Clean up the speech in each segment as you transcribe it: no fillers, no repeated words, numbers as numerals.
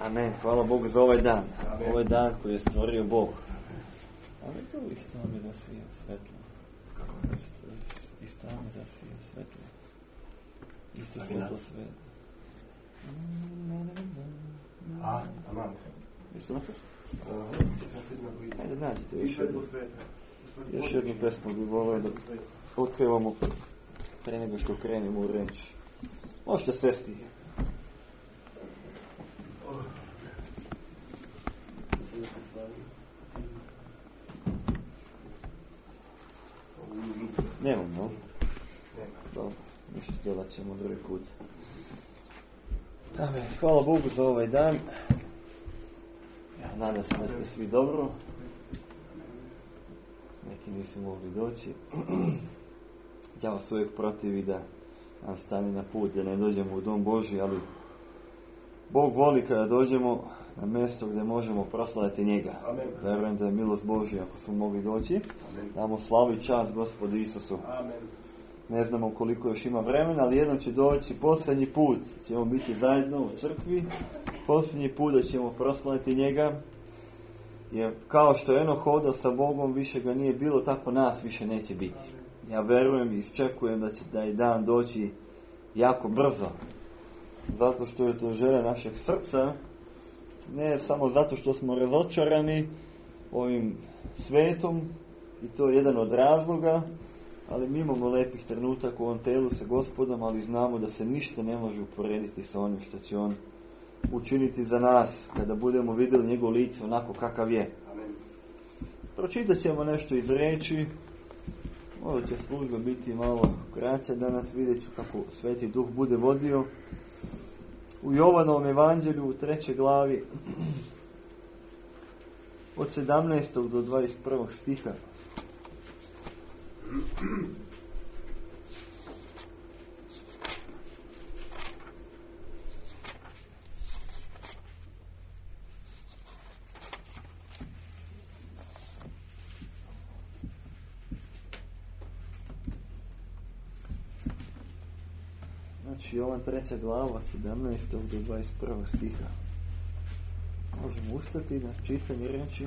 Amen. Hvala Bogu za ovaj dan. Amen. Ovaj dan koji je stvorio Bog. Ali to isto mi zasija svetlo. Isto mi zasija svetlo. Isto svetlo sveta. Amen. Isto nosiš? Ajde nađite još jednu pesmu bi volio da otkrivamo pre nego što krenemo u reč. Možete sesti. Nemam, no? Dobro, ništa djelat ćemo drugi put. Amen. Hvala Bogu za ovaj dan. Ja nadam se da ste svi dobro. Neki nisu mogli doći. Ja vas uvijek protivi da nam stane na put, da ne dođemo u dom Božji, ali Bog voli kada dođemo na mjesto gdje možemo proslaviti njega. Amen. Verujem da je milost Božja ako smo mogli doći. Amen. Damo slavu i čast Gospodu Isusu. Amen. Ne znamo koliko još ima vremena, ali jednom će doći posljednji put. Ćemo biti zajedno u crkvi. Posljednji put da ćemo proslaviti njega. Jer kao što je Enoh hodao sa Bogom, više ga nije bilo, tako nas više neće biti. Ja verujem i iščekujem da će taj dan doći jako brzo. Zato što je to želja našeg srca. Ne samo zato što smo razočarani ovim svetom. I to je jedan od razloga. Ali mi imamo lepih trenutaka u ovom telu sa Gospodom, ali znamo da se ništa ne može uporediti sa onim što će On učiniti za nas kada budemo vidjeli njegov lice onako kakav je. Amen. Pročitat ćemo nešto iz reči. Možda će služba biti malo kraća danas, vidjet ću kako Sveti Duh bude vodio. U Jovanovom evanđelju u 3. glavi od 17. do 21. stiha. Znači Jovan 3. glava od 17. do 21. stiha. Možemo ustati na čitanje reči.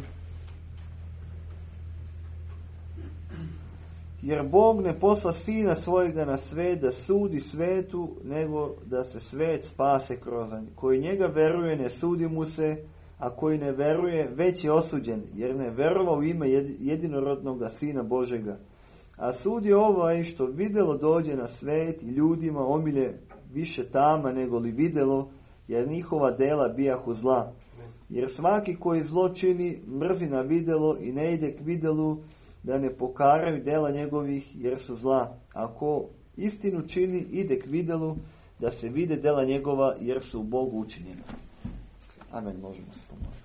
Jer Bog ne posla Sina svojega na svet da sudi svetu, nego da se svet spase kroz njega. Koji njega veruje ne sudi mu se, a koji ne veruje već je osuđen, jer ne verovao u ime jedinorodnog Sina Božega. A sud je ovaj što videlo dođe na svet i ljudima omilje više tama nego li videlo, jer njihova dela bijahu zla. Jer svaki koji zlo čini mrzi na videlo i ne ide k videlu, da ne pokaraju dela njegovih jer su zla. Ako istinu čini, ide k videlu, da se vide dela njegova jer su u Bogu učinjena. Amen, možemo se pomoliti.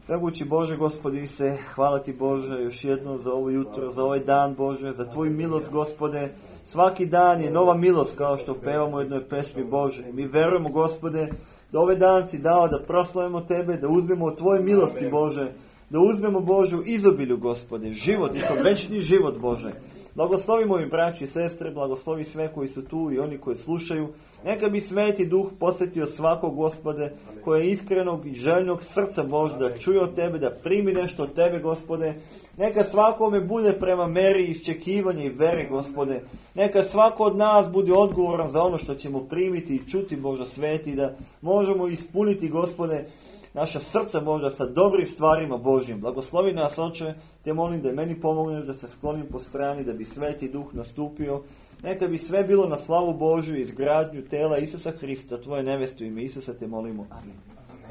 Svemogući Bože, Gospodi se, hvala Ti Bože još jednom za ovo jutro, za ovaj dan Bože, za Tvoju milost Gospode. Svaki dan je nova milost kao što pevamo u jednoj pesmi Bože. Mi verujemo Gospode da ovaj dan Si dao da proslavimo Tebe, da uzmemo od Tvoje milosti Bože, da uzmemo Bože u izobilju Gospode, život i to večni život Bože. Blagoslovi moji braći i sestre, blagoslovi sve koji su tu i oni koji slušaju. Neka bi Sveti Duh posjetio svakog Gospode koje je iskrenog i željnog srca Bože da čuje od Tebe, da primi nešto od Tebe Gospode. Neka svakome bude prema meri iščekivanja i vere Gospode. Neka svako od nas bude odgovoran za ono što ćemo primiti i čuti Bože Sveti, da možemo ispuniti Gospode naša srca Božja sa dobrim stvarima Božjim. Blagoslovi nas, Oče, Te molim da meni pomogneš da se sklonim po strani, da bi Sveti Duh nastupio. Neka bi sve bilo na slavu Božju i izgradnju tela Isusa Hrista, Tvoje neveste u ime Isusa Te molimo. Amen.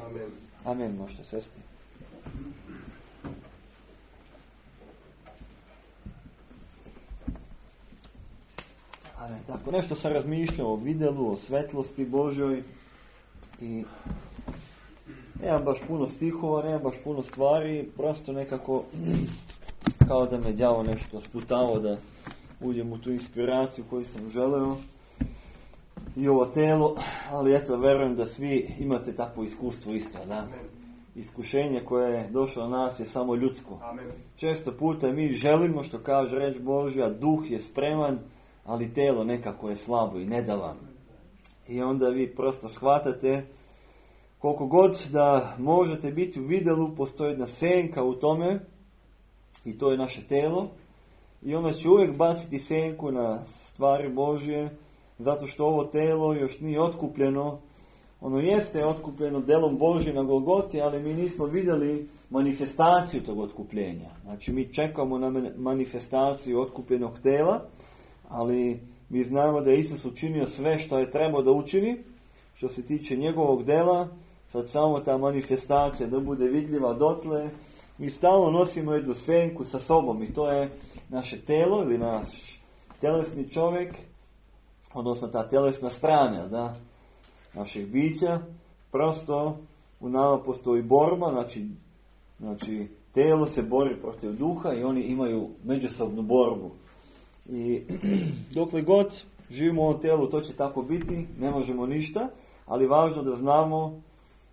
Amen. Amen, možete sesti. Amen. Tako, nešto sam razmišljao o videlu, o svetlosti Božjoj i nemam baš puno stihova, nemam baš puno stvari, prosto nekako kao da me đavo nešto sputavao da uđem u tu inspiraciju koju sam želeo i ovo telo, ali eto, verujem da svi imate takvo iskustvo isto, da? Amen. Iskušenje koje je došlo na nas je samo ljudsko. Amen. Često puta mi želimo, što kaže reč Božja, duh je spreman, ali telo nekako je slabo i nedavano. I onda vi prosto shvatate koliko god da možete biti u vidjelu, postoji jedna senka u tome, i to je naše telo, i onda će uvijek baciti senku na stvari Božje, zato što ovo telo još nije otkupljeno. Ono jeste otkupljeno delom Božje na Golgoti, ali mi nismo vidjeli manifestaciju tog otkupljenja. Znači mi čekamo na manifestaciju otkupljenog tela, ali mi znamo da je Isus učinio sve što je trebao da učini, što se tiče njegovog dela. Sad samo ta manifestacija da bude vidljiva dotle. Mi stalno nosimo jednu senku sa sobom i to je naše telo ili naš telesni čovjek, odnosno ta telesna strana, da, naših bića. Prosto u nama postoji borba, znači telo se bori protiv duha i oni imaju međusobnu borbu. I dokle god živimo u ovom telu, to će tako biti, ne možemo ništa, ali važno da znamo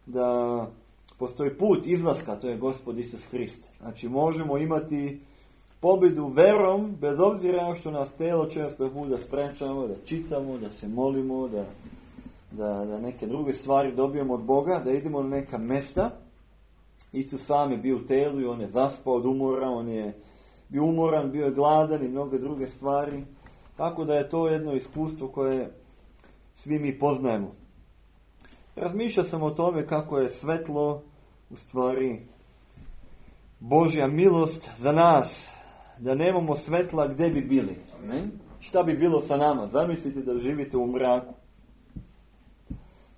da postoji put izlaska, to je Gospod Isus Hrist. Znači možemo imati pobjedu verom, bez obzira što nas telo često puta sprečava, da čitamo, da se molimo, da neke druge stvari dobijemo od Boga, da idemo na neka mesta. Isus sam je bio u telu i on je zaspao od umora, on je bio umoran, bio je gladan i mnoge druge stvari. Tako da je to jedno iskustvo koje svi mi poznajemo. Razmišljao sam o tome kako je svetlo u stvari Božja milost za nas. Da nemamo svetla, gdje bi bili? Ne? Šta bi bilo sa nama? Zamislite da živite u mraku.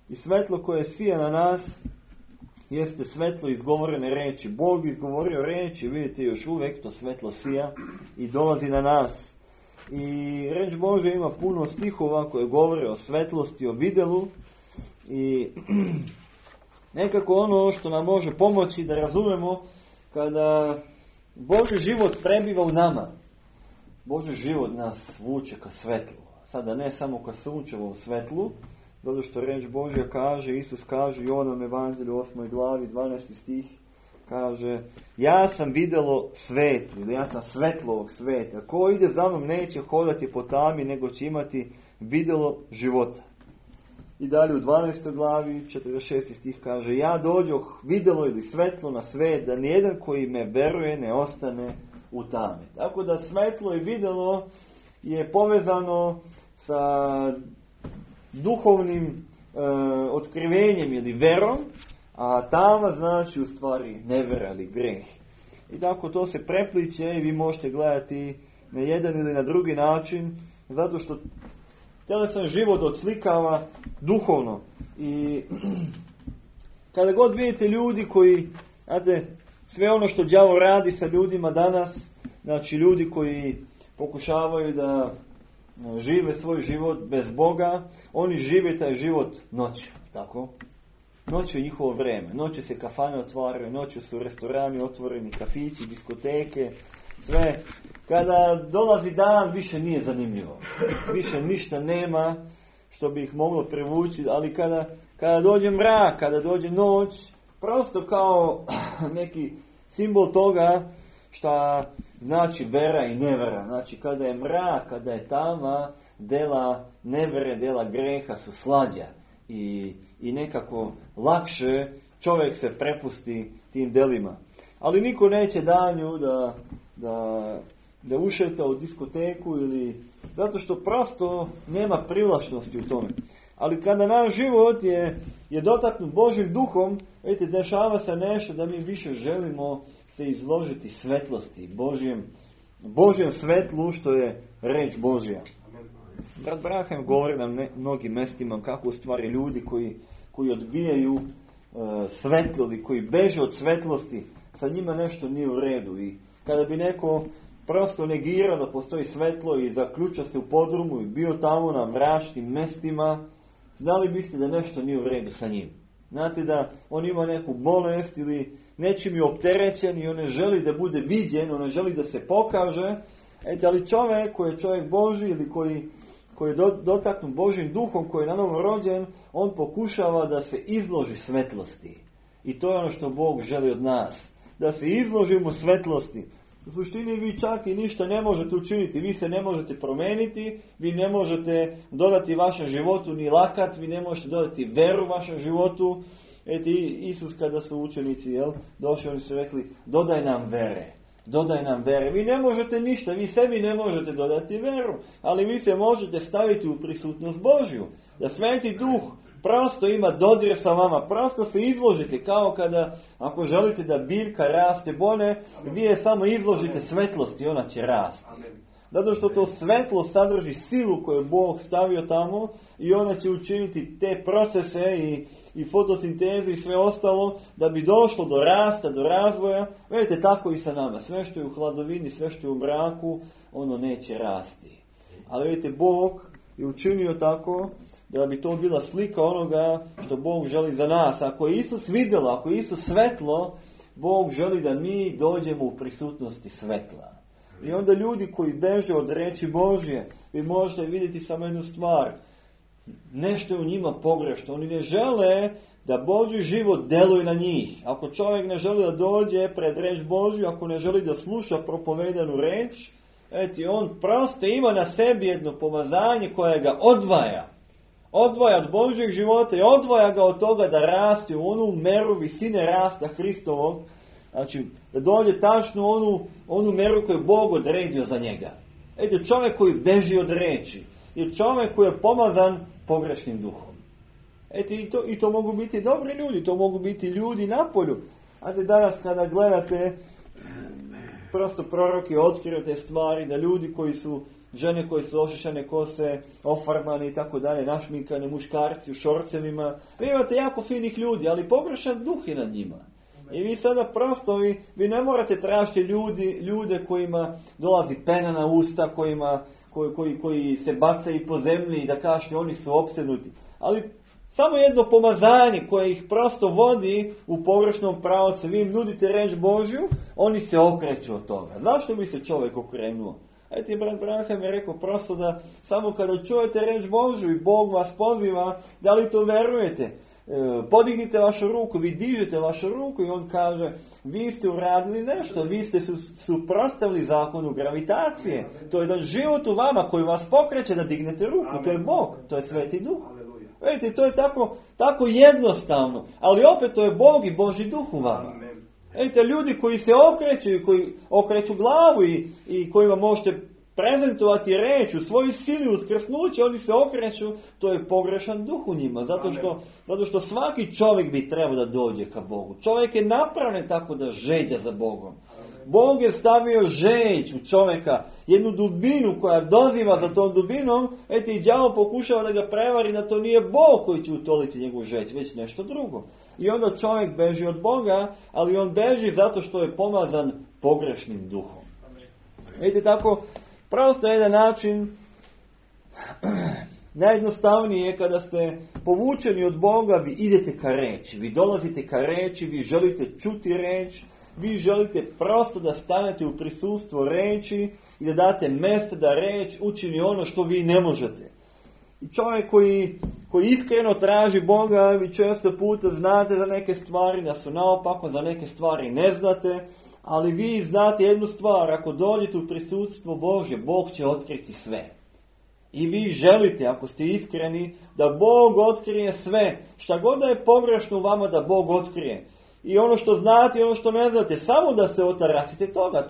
I svetlo koje sija na nas jeste svetlo izgovorene reči. Bog izgovorio reči, vidite još uvijek to svetlo sija i dolazi na nas. I reč Božja ima puno stihova koje govore o svetlosti, o vidjelu. I nekako ono što nam može pomoći da razumemo kada Božji život prebiva u nama. Božji život nas vuče ka svetlu. Sada ne samo ka sunčevom svetlu, zato što reč Božja kaže, Isus kaže, Jovanom evanđelju 8. glavi 12. stih, kaže, ja sam vidjelo svetlo, ili ja sam svetlo ovog sveta. Ko ide za mnom neće hodati po tami, nego će imati vidjelo života. I dalje u 12. glavi 46. stih kaže, ja dođoh vidjelo ili svetlo na svet, da nijedan koji me veruje ne ostane u tami. Tako da svetlo i vidjelo je povezano sa duhovnim otkrivenjem ili verom, a tama znači u stvari nevera ili greh. I tako to se prepliče i vi možete gledati na jedan ili na drugi način, zato što telesan život odslikava duhovno. I kada god vidite ljudi koji, znate, sve ono što đavo radi sa ljudima danas, znači ljudi koji pokušavaju da žive svoj život bez Boga, oni žive taj život noću, tako? Noću je njihovo vrijeme, noću se kafane otvaraju, noću su restorani otvoreni, kafići, diskoteke, sve. Kada dolazi dan, više nije zanimljivo. Više ništa nema što bi ih moglo privući, ali kada dođe mrak, kada dođe noć, prosto kao neki simbol toga šta znači vera i nevera. Znači kada je mrak, kada je tama, dela nevere, dela greha su slađa i nekako lakše čovjek se prepusti tim delima. Ali niko neće danju da ušeta u diskoteku ili zato što prosto nema privlačnosti u tome. Ali kada naš život je dotaknut Božjim duhom, vidite, dešava se nešto da mi više želimo se izložiti svetlosti, Božjem svetlu, što je reč Božja. Brat Brahem govori nam mnogim mestima kako u stvari ljudi koji odbijaju svetlo ili koji beže od svetlosti, sa njima nešto nije u redu. I kada bi neko prosto negirao da postoji svetlo i zaključao se u podrumu i bio tamo na mračnim mestima, znali biste da nešto nije u redu sa njim. Znate da on ima neku bolest ili nečim je opterećen i on ne želi da bude viđen, on ne želi da se pokaže. Ali čovjek koji je čovjek Božji ili koji je dotaknut Božjim duhom, koji je na novo rođen, on pokušava da se izloži svetlosti. I to je ono što Bog želi od nas. Da se izložimo svetlosti. U suštini vi čak i ništa ne možete učiniti. Vi se ne možete promeniti, vi ne možete dodati vašem životu ni lakat, vi ne možete dodati veru vašem životu. Isus kada su učenici došli, oni su rekli, dodaj nam vere. Dodaj nam vere. Vi ne možete ništa, vi sebi ne možete dodati veru, ali vi se možete staviti u prisutnost Božju. Da Sveti Duh prosto ima dodir sa vama, prosto se izložite, kao kada, ako želite da biljka raste bolje, vi je samo izložite svetlosti i ona će rasti. Zato što to svetlo sadrži silu koju je Bog stavio tamo i ona će učiniti te procese i fotosintezu i sve ostalo da bi došlo do rasta, do razvoja. Vidite, tako i sa nama. Sve što je u hladovini, sve što je u mraku, ono neće rasti. Ali vidite, Bog je učinio tako da bi to bila slika onoga što Bog želi za nas. Ako je Isus vidjelo, ako je Isus svetlo, Bog želi da mi dođemo u prisutnosti svetla. I onda ljudi koji beže od reči Božje, vi možete vidjeti samo jednu stvar. Nešto je u njima pogrešno. Oni ne žele da Božji život deluje na njih. Ako čovjek ne želi da dođe pred reč Božju, ako ne želi da sluša propovedanu reč, on prosto ima na sebi jedno pomazanje koje ga odvaja. Odvaja od Božjeg života i odvaja ga od toga da raste u onu meru visine rasta Hristovog. Znači, da dođe tačno onu meru koju je Bog odredio za njega. Čovjek koji beži od reči je čovjek koji je pomazan pogrešnim duhom. I to mogu biti dobri ljudi, to mogu biti ljudi na polju. Danas kada gledate, prosto proroki otkriju te stvari, da ljudi koji su, žene koje su ošišane kose, ofarbane i tako dalje, našminkane, muškarci u šorcevima, vi imate jako finih ljudi, ali pogrešan duh je nad njima. I vi sada prosto, vi ne morate tražiti ljude kojima dolazi pena na usta, koji se bacaju po zemlji i da kažete oni su opsednuti. Ali samo jedno pomazanje koje ih prosto vodi u pogrešnom pravcu, vi im nudite reč Božju, oni se okreću od toga. Zašto bi se čovjek okrenuo? Brat Branham je rekao prosto da samo kada čujete reč Božju i Bog vas poziva, da li to verujete? Podignite vašu ruku, vi dižete vašu ruku i on kaže, vi ste uradili nešto, vi ste suprotstavili zakonu gravitacije. To je jedan život u vama koji vas pokreće da dignete ruku. To je Bog, to je Sveti Duh. Vidite, to je tako jednostavno, ali opet to je Bog i Božji Duh u vama. Vidite, ljudi koji se okreću i koji okreću glavu i kojima možete prezentovati reč u svojoj sili uskrsnuće, oni se okreću, to je pogrešan duh u njima, zato što svaki čovjek bi trebao da dođe ka Bogu. Čovjek je napravljen tako da žeđa za Bogom. Bog je stavio žeđ u čovjeka, jednu dubinu koja doziva za tom dubinom, i đavo pokušava da ga prevari da to nije Bog koji će utoliti njegovu žeđ, već nešto drugo. I onda čovjek beži od Boga, ali on beži zato što je pomazan pogrešnim duhom. Vidite, tako, prosto jedan način, najjednostavnije je kada ste povučeni od Boga, vi idete ka reči, vi dolazite ka reči, vi želite čuti reč, vi želite prosto da stanete u prisustvo reči i da date mjesto da reč učini ono što vi ne možete. I čovjek koji iskreno traži Boga, vi često puta znate za neke stvari, da su naopako, za neke stvari ne znate, ali vi znate jednu stvar, ako dođete u prisustvo Božje, Bog će otkriti sve. I vi želite, ako ste iskreni, da Bog otkrije sve, šta god da je pogrešno u vama da Bog otkrije. I ono što znate i ono što ne znate, samo da se otarasite toga,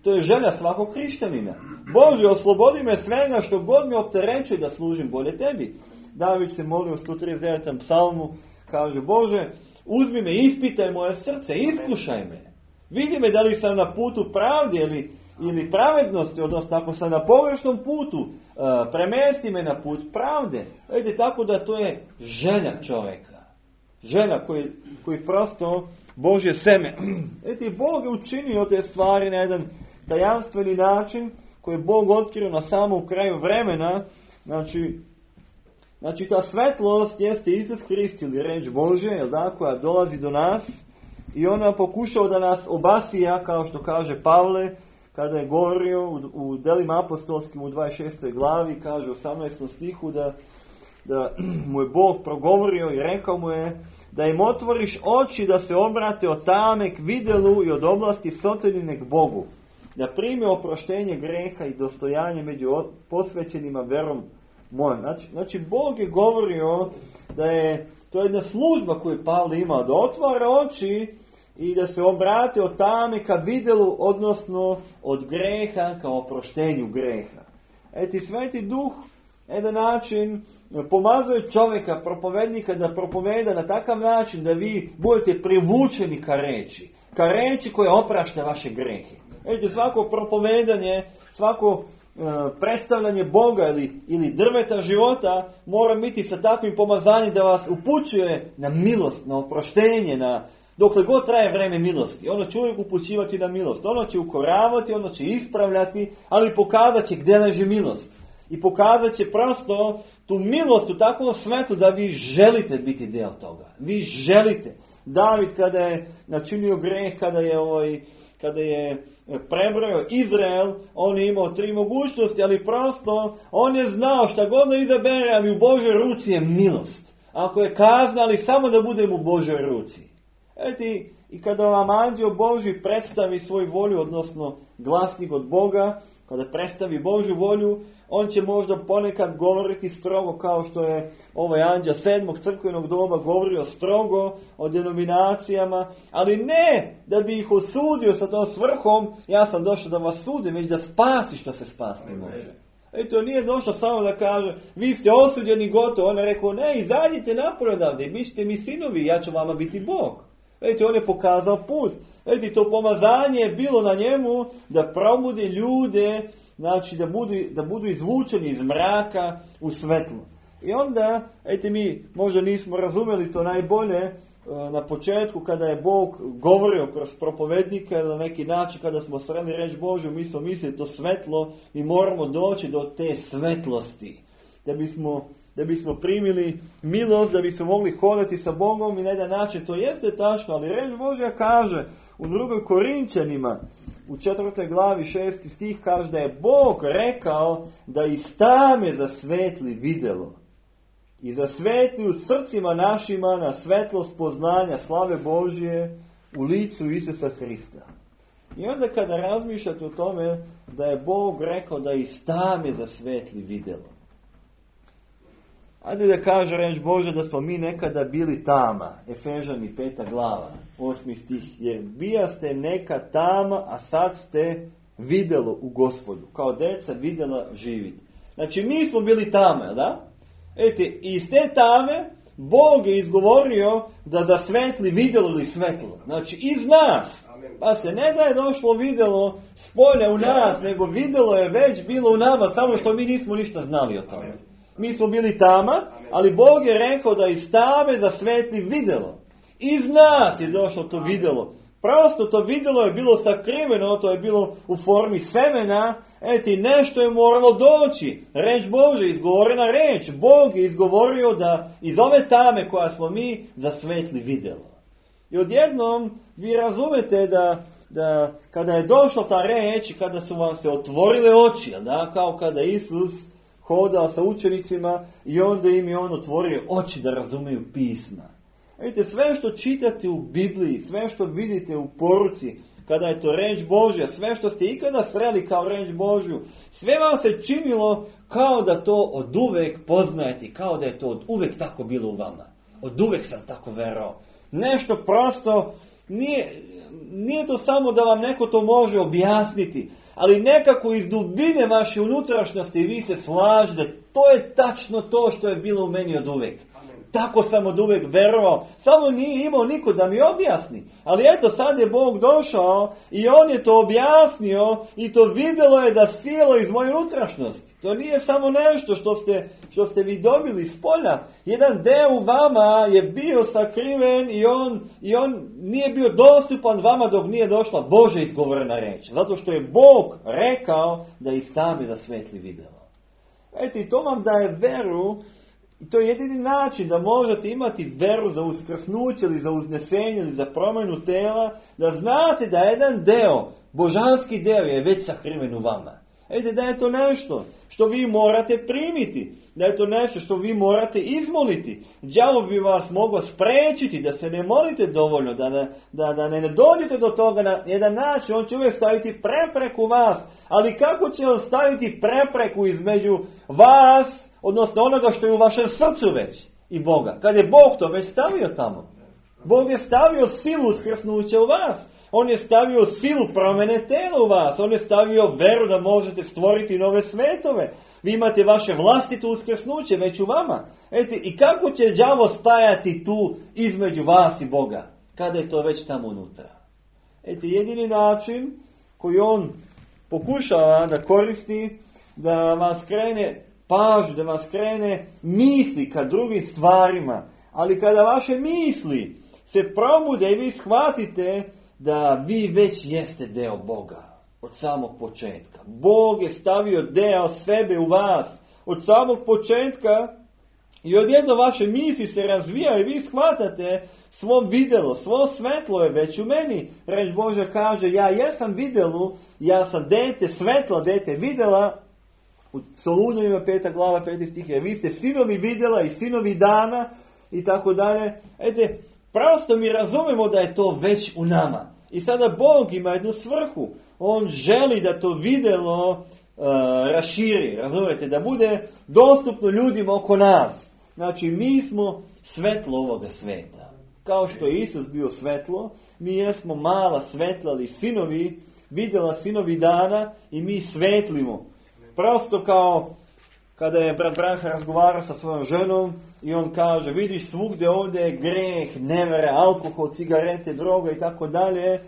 to je želja svakog hrišćanina. Bože, oslobodi me svega što god me opterećuje da služim bolje tebi. David se molio u 139. psalmu, kaže, Bože, uzmi me, ispitaj moje srce, iskušaj me. Vidi me da li sam na putu pravde ili pravednosti, odnosno ako sam na pogrešnom putu, premesti me na put pravde. Vidite, tako da to je želja čovjeka. Želja koji prosto Božje seme. Vidite, Bog je učinio te stvari na jedan tajanstveni način koji je Bog otkrio na samom kraju vremena. Znači ta svetlost jeste Isus Krist ili reč Božje, koja dolazi do nas i ona pokušao da nas obasija, kao što kaže Pavle, kada je govorio u Delima apostolskim u 26. glavi, kaže u 18. stihu da mu je Bog progovorio i rekao mu je da im otvoriš oči da se obrate od tame k videlu i od oblasti sotonine k Bogu, da prime oproštenje greha i dostojanje među posvećenima verom mojom. Znači Bog je govorio da je to je jedna služba koju Pavle imao, da otvara oči i da se obrate od tame ka vidjelu, odnosno od greha ka oproštenju greha. Sveti Duh na jedan način pomazuje čovjeka, propovednika, da propoveda na takav način da vi budete privučeni ka reči koja oprašta vaše grehe. Svako propovedanje, svako predstavljanje Boga ili drveta života mora biti sa takvim pomazanjem da vas upućuje na milost, na oproštenje, dokle god traje vreme milosti. Ono će uvijek upućivati na milost. Ono će ukoravati, ono će ispravljati, ali pokazat će gdje leži milost. I pokazat će prosto tu milost u takvom svetlu da vi želite biti dio toga. Vi želite. David kada je načinio greh, kada je prebrojao Izrael, on je imao 3 mogućnosti, ali prosto on je znao šta god da izabere, ali u Božoj ruci je milost. Ako je kazna, ali samo da budem u Božoj ruci. I kada vam anđeo Božji predstavi svoju volju, odnosno glasnik od Boga, kada predstavi Božju volju, on će možda ponekad govoriti strogo, kao što je ovaj anđeo 7. crkvenog doba govorio strogo o denominacijama, ali ne da bi ih osudio sa tom svrhom, ja sam došao da vas sudim, već da spasi što se spasti može. To nije došlo samo da kaže, vi ste osuđeni, gotovo. On je rekao, ne, izađite napolje odavde i bit ćete mi sinovi, ja ću vama biti Bog. On je pokazao put. To pomazanje je bilo na njemu da probudi ljude, znači da budu izvučeni iz mraka u svetlo. I onda, mi možda nismo razumjeli to najbolje na početku kada je Bog govorio kroz propovednika, na neki način kada smo sreli reč Božju, mi smo mislili to svetlo, mi moramo doći do te svetlosti. Da bismo primili milost, da bismo mogli hodati sa Bogom i na jedan način. To jeste tačno, ali reč Božja kaže u 2. Korinćanima, u 4. glavi 6. stih kaže da je Bog rekao da iz tame zasvetli videlo i zasvetli u srcima našima na svetlost poznanja slave Božje u licu Isusa Hrista. I onda kada razmišljate o tome da je Bog rekao da iz tame zasvetli videlo. Ajde da kaže reč Bože da smo mi nekada bili tama. Efežani 5. glava, 8. stih. Jer bijaste neka tama, a sad ste videlo u Gospodu. Kao deca videla živiti. Znači mi smo bili tama, da? Iz te tame Bog je izgovorio da zasvetli videlo ili svetlo. Znači iz nas. Pa se ne da je došlo videlo s polja u nas, nego videlo je već bilo u nama, samo što mi nismo ništa znali o tome. Mi smo bili tama, ali Bog je rekao da iz tame zasvetli videlo. Iz nas je došlo to videlo. Prosto to videlo je bilo sakriveno, to je bilo u formi semena. Nešto je moralo doći. Reč Bože, izgovorena reč. Bog je izgovorio da iz ove tame koja smo mi zasvetli videlo. I odjednom vi razumete da kada je došla ta reč i kada su vam se otvorile oči, da, kao kada Isus hodao sa učenicima i onda im je on otvorio oči da razumiju pisma. Sve što čitate u Bibliji, sve što vidite u poruci, kada je to reč Božja, sve što ste ikada sreli kao reč Božju, sve vam se činilo kao da to od uvek poznajete, kao da je to od uvek tako bilo u vama. Od uvek sam tako verovao. Nešto prosto, nije to samo da vam neko to može objasniti, ali nekako iz dubine vaše unutrašnjosti vi se slažete, to je tačno to što je bilo u meni od uvek. Tako sam od uvek verovao, samo nije imao niko da mi objasni. Ali eto, sad je Bog došao i on je to objasnio i to videlo je da sjelo iz moje unutrašnjosti. To nije samo nešto što ste vi dobili iz polja. Jedan deo u vama je bio sakriven i on nije bio dostupan vama dok nije došla Božja izgovorena reč. Zato što je Bog rekao da iz tame zasvetli videlo. Eto, i to vam daje veru. I to je jedini način da možete imati veru za uskrsnuće ili za uznesenje ili za promjenu tela, da znate da jedan deo, božanski deo je već sakriven u vama. Da je to nešto što vi morate primiti, da je to nešto što vi morate izmoliti. Đavo bi vas mogao spriječiti da se ne molite dovoljno, da ne dođete do toga na jedan način. On će uvijek staviti prepreku vas, ali kako će on staviti prepreku između vas, odnosno onoga što je u vašem srcu već? i Boga. Kad je Bog to već stavio tamo. Bog je stavio silu uskrsnuća u vas. On je stavio silu promjene tela u vas. On je stavio veru da možete stvoriti nove svetove. Vi imate vaše vlastito uskrsnuće već u vama. I kako će đavo stajati tu između vas i Boga? Kada je to već tamo unutra? Jedini način koji on pokušava da koristi, da vas krene pažnju, da vas krene misli ka drugim stvarima. Ali kada vaše misli se probude i vi shvatite da vi već jeste deo Boga od samog početka. Bog je stavio deo sebe u vas od samog početka i odjedno vaše misli se razvijaju i vi shvatate svo videlo, svo svetlo je već u meni. Reč Božja kaže, ja jesam videlu, ja sam dete svetla, dete videla. U Solunjanima 5. glava 5. stih je, vi ste sinovi videla i sinovi dana i tako dalje. Prosto mi razumemo da je to već u nama. I sada Bog ima jednu svrhu. On želi da to videlo raširi, razumijete, da bude dostupno ljudima oko nas. Znači, mi smo svetlo ovoga sveta. Kao što je Isus bio svetlo, mi jesmo mala svetla, ali sinovi, videla sinovi dana i mi svetlimo. Prosto kao kada je brat Branha razgovarao sa svojom ženom i on kaže, vidiš svugdje ovdje je greh, nevere, alkohol, cigarete, droga i tako dalje.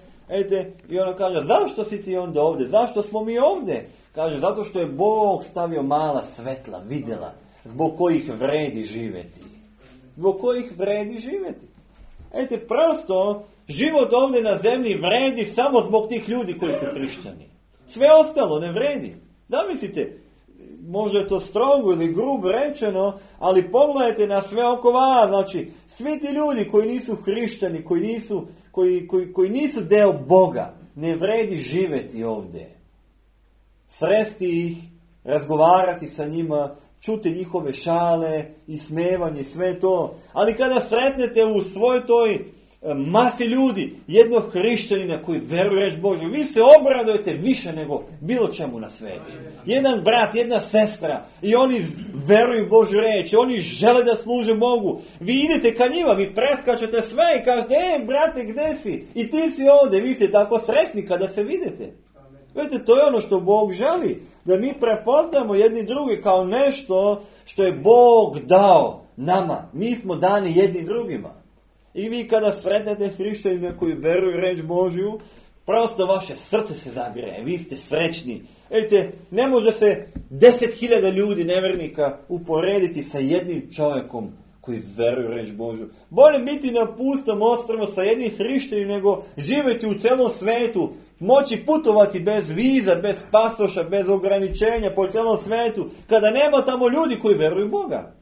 I ona kaže, zašto si ti onda ovdje? Zašto smo mi ovdje? Kaže, zato što je Bog stavio mala svetla, vidjela, zbog kojih vredi živjeti. Zbog kojih vredi živjeti. Prosto, život ovdje na zemlji vredi samo zbog tih ljudi koji su hrišćani. Sve ostalo ne vredi. Zamislite, možda je to strogo ili grubo rečeno, ali pogledajte na sve oko vas. Znači, svi ti ljudi koji nisu hrišćani, koji nisu deo Boga, ne vredi živjeti ovdje. Sresti ih, razgovarati sa njima, čuti njihove šale, ismevanje, sve to. Ali kada sretnete u svoj toj masi ljudi, jednog hrišćanina koji veruje reč Božju, vi se obradujete više nego bilo čemu na svijetu. Jedan brat, jedna sestra i oni veruju Božju reč, oni žele da služe Bogu. Vi idete ka njima, vi preskačete sve i kažete, brate, gdje si? I ti si ovdje, vi ste tako srećni kada se vidite. Vidite, to je ono što Bog želi, da mi prepoznamo jedni drugi kao nešto što je Bog dao nama. Mi smo dani jedni drugima. I vi kada sretnete hrišćanina koji veruju reč Božju, prosto vaše srce se zagreje, vi ste srećni. Ne može se 10.000 ljudi nevernika uporediti sa jednim čovjekom koji veruje reč Božju. Bolje biti na pustom ostrvu sa jednim hrišćaninom nego živjeti u celom svetu, moći putovati bez viza, bez pasoša, bez ograničenja po celom svetu, kada nema tamo ljudi koji veruju Boga.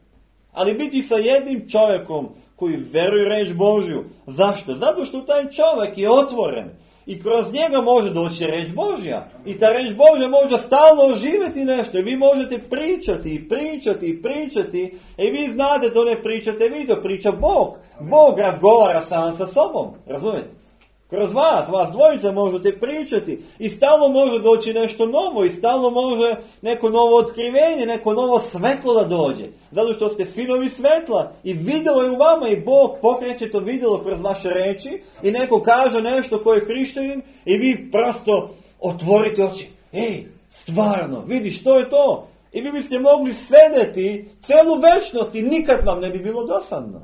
Ali biti sa jednim čovjekom koji veruje reč Božju. Zašto? Zato što taj čovjek je otvoren i kroz njega može doći reč Božja. I ta reč Božja može stalno oživjeti nešto. I vi možete pričati. I vi znate to ne pričate vi, to priča Bog. Bog razgovara sam sa sobom. Razumijete? Kroz vas dvojica možete pričati i stalno može doći nešto novo i stalno može neko novo otkrivenje, neko novo svetlo da dođe. Zato što ste sinovi svetla i vidjelo je u vama i Bog pokreće to vidjelo kroz vaše reči i neko kaže nešto koje je hrišćanin i vi prosto otvorite oči. Stvarno, vidiš što je to? I vi biste mogli sedeti celu večnost i nikad vam ne bi bilo dosadno.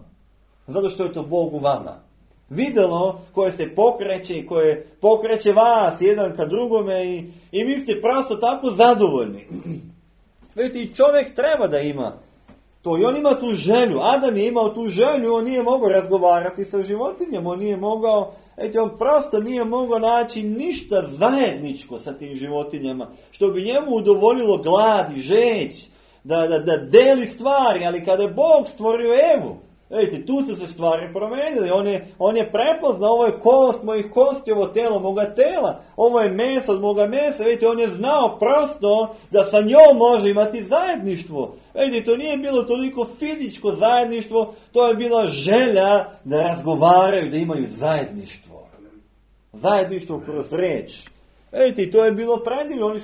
Zato što je to Bog u vama. Vidjelo koje se pokreće i koje pokreće vas jedan ka drugome i vi ste prosto tako zadovoljni. Vidite, i čovjek treba da ima to i on ima tu želju. Adam je imao tu želju, on nije mogao razgovarati sa životinjama, on nije mogao, on prosto nije mogao naći ništa zajedničko sa tim životinjama, što bi njemu udovoljilo glad i žeć, da deli stvari, ali kada je Bog stvorio Evu, vidite, tu su se stvari promijenili. On je prepoznao, ovo je kost mojih kosti, ovo telo moga tela, ovo je meso od moga mesa. Vidite, on je znao prosto da sa njom može imati zajedništvo. Vidite, to nije bilo toliko fizičko zajedništvo, to je bila želja da razgovaraju, da imaju zajedništvo. Zajedništvo kroz reč. Vidite, to je bilo predivno, oni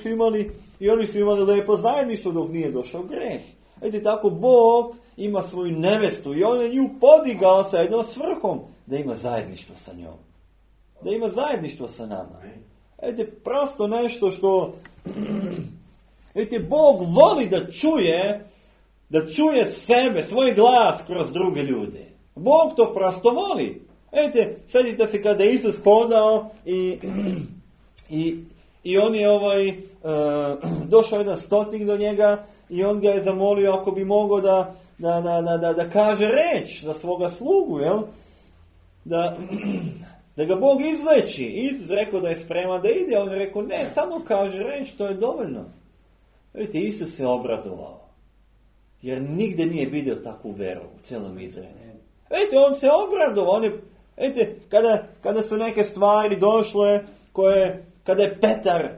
su imali lepo zajedništvo dok nije došao greh. Vidite, tako Bog ima svoju nevestu i on je nju podigao sa jednom svrhom da ima zajedništvo sa njom. Da ima zajedništvo sa nama. Vidite, prosto nešto što vidite, Bog voli da čuje sebe, svoj glas kroz druge ljude. Bog to prosto voli. Vidite, sjećate se kada je Isus hodao i on je došao jedan stotnik do njega i on ga je zamolio ako bi mogao da kaže reč za svoga slugu, jel? Da ga Bog izleči. Isus rekao da je spreman da ide, a on je rekao ne, samo kaže reč, to je dovoljno. Vidite, Isus se obradovao. Jer nigde nije vidio takvu veru u celom Izraelu. Vidite, on se obradovao. Vidite, kada su neke stvari došle, kada je Petar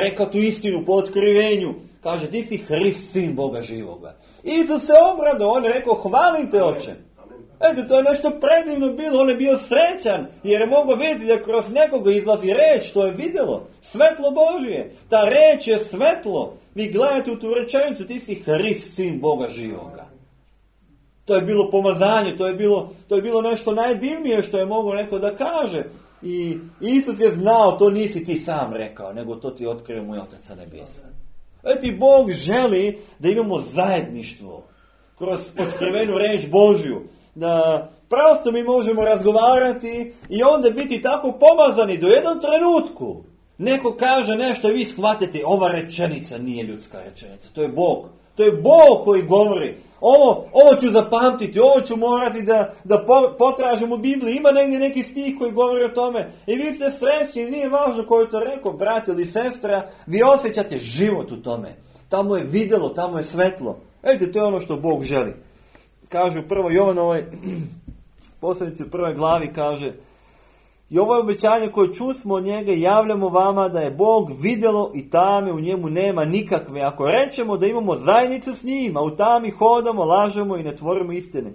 rekao tu istinu po otkrivenju, kaže, ti si Hrist, sin Boga živoga. Isus se obradovao, on je rekao, hvalim te, Oče. Eto, to je nešto predivno bilo, on je bio srećan, jer je mogao vidjeti da kroz nekoga izlazi reč, to je vidjelo, svetlo Božije. Ta reč je svetlo. Vi gledate u tu rečenicu, ti si Hrist, sin Boga živoga. To je bilo pomazanje, to je bilo nešto najdivnije što je mogao neko da kaže. I Isus je znao, to nisi ti sam rekao, nego to ti otkrio moj Otac sa nebesa. Eto, Bog želi da imamo zajedništvo kroz otkrivenu reč Božju. Da prosto mi možemo razgovarati i onda biti tako pomazani do jednom trenutku. Neko kaže nešto i vi shvatite, ova rečenica nije ljudska rečenica. To je Bog. To je Bog koji govori. Ovo ću zapamtiti, ovo ću morati da potražim u Bibliji. Ima negdje neki stih koji govori o tome. I vi ste srećni, nije važno ko je to rekao, brat ili sestra. Vi osjećate život u tome. Tamo je vidjelo, tamo je svetlo. Vidite, to je ono što Bog želi. Kaže u 1. Jovanovoj poslanici u 1. glavi kaže: i ovo je obećanje koje čusmo od njega i javljamo vama da je Bog vidjelo i tame u njemu nema nikakve. Ako rečemo da imamo zajednicu s njim, a u tami hodamo, lažemo i ne tvorimo istine.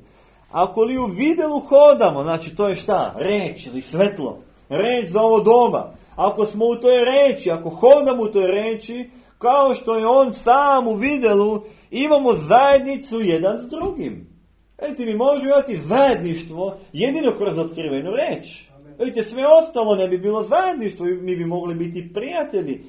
Ako li u vidjelu hodamo, znači to je šta? Reč ili svetlo. Reč za ovo doba. Ako smo u toj reči, ako hodamo u toj reči, kao što je on sam u vidjelu, imamo zajednicu jedan s drugim. Vidite, mi možemo imati zajedništvo jedino kroz otkrivenu reč. Vidite, sve ostalo ne bi bilo zajedništvo, mi bi mogli biti prijatelji,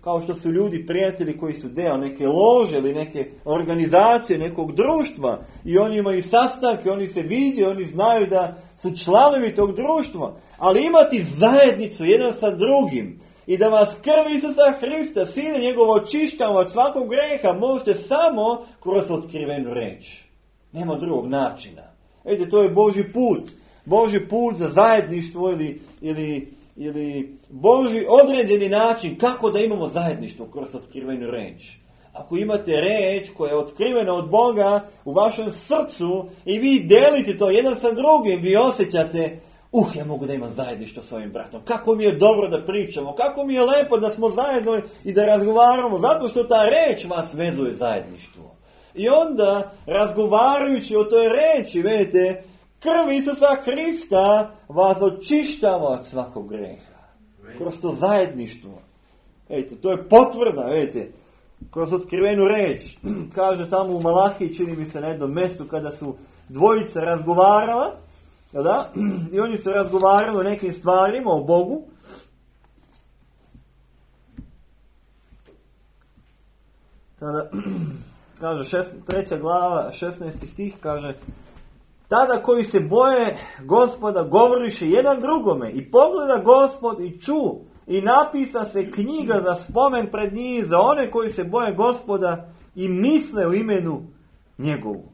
kao što su ljudi prijatelji koji su deo neke lože ili neke organizacije, nekog društva. I oni imaju sastanke, oni se vide, oni znaju da su članovi tog društva. Ali imati zajednicu jedan sa drugim i da vas krv Isusa Hrista, Sina njegovo, očištava od svakog greha, možete samo kroz otkrivenu reč. Nema drugog načina. Vidite, to je Božji put. Božji put za zajedništvo ili Božji određeni način kako da imamo zajedništvo kroz otkrivenu reč. Ako imate reč koja je otkrivena od Boga u vašem srcu i vi delite to jedan sa drugim, vi osjećate, ja mogu da imam zajedništvo s ovim bratom. Kako mi je dobro da pričamo, kako mi je lepo da smo zajedno i da razgovaramo, zato što ta reč vas vezuje zajedništvo. I onda, razgovarajući o toj reči, vidite, krv Isusa Hrista vas očištava od svakog greha. Kroz to zajedništvo. Vidite, to je potvrda, vidite, kroz otkrivenu reč. Kaže tamo u Malahiji, čini mi se na jednom mjestu, kada su dvojice razgovarala, da? I oni su razgovarali o nekim stvarima, o Bogu. Tada, kaže, 3. glava, 16. stih, kaže: tada koji se boje Gospoda govoriše jedan drugome i pogleda Gospod i ču i napisa se knjiga za spomen pred njih za one koji se boje Gospoda i misle u imenu njegovu.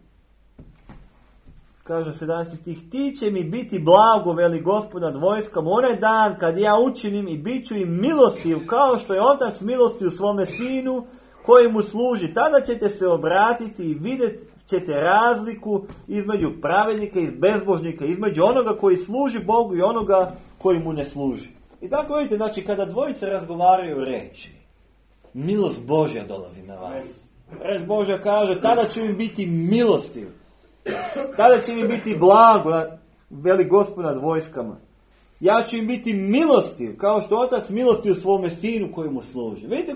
Kaže 17. stih: ti će mi biti blago, veli Gospod nad vojskama, onaj dan kad ja učinim i bit ću im milostiv kao što je otac milostiv svome sinu koji mu služi. Tada ćete se obratiti i vidjeti ćete razliku između pravednika i bezbožnika, između onoga koji služi Bogu i onoga koji mu ne služi. I tako vidite, znači kada dvojice razgovaraju reči, milost Božja dolazi na vas. Reč Božja kaže, tada će im biti milostiv. Tada će im biti blago, veli Gospod nad vojskama. Ja ću im biti milostiv, kao što otac milosti u svome sinu koji mu služi. Vidite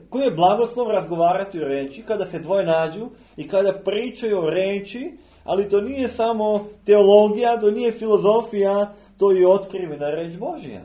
koji je blagoslov razgovarati o reči kada se dvoje nađu i kada pričaju o reči, ali to nije samo teologija, to nije filozofija, to je otkrivena reč Božja.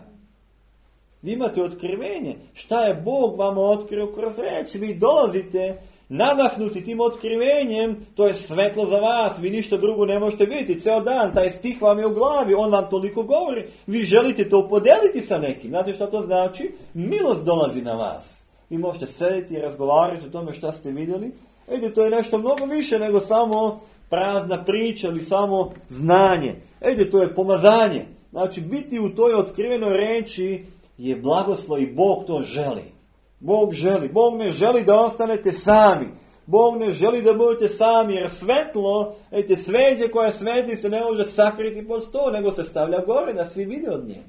Vi imate otkrivenje. Šta je Bog vama otkrio kroz reč? Vi dolazite nadahnuti tim otkrivenjem, to je svetlo za vas, vi ništa drugo ne možete vidjeti. Ceo dan, taj stih vam je u glavi, on vam toliko govori. Vi želite to podeliti sa nekim. Znate šta to znači? Milost dolazi na vas. Vi možete sedjeti i razgovarati o tome šta ste vidjeli. To je nešto mnogo više nego samo prazna priča ili samo znanje. To je pomazanje. Znači, biti u toj otkrivenoj reči je blagoslov i Bog to želi. Bog želi. Bog ne želi da ostanete sami. Bog ne želi da budete sami, jer svetlo, sveđe koja sveti se ne može sakriti pod sto, nego se stavlja gore da svi vide od nje.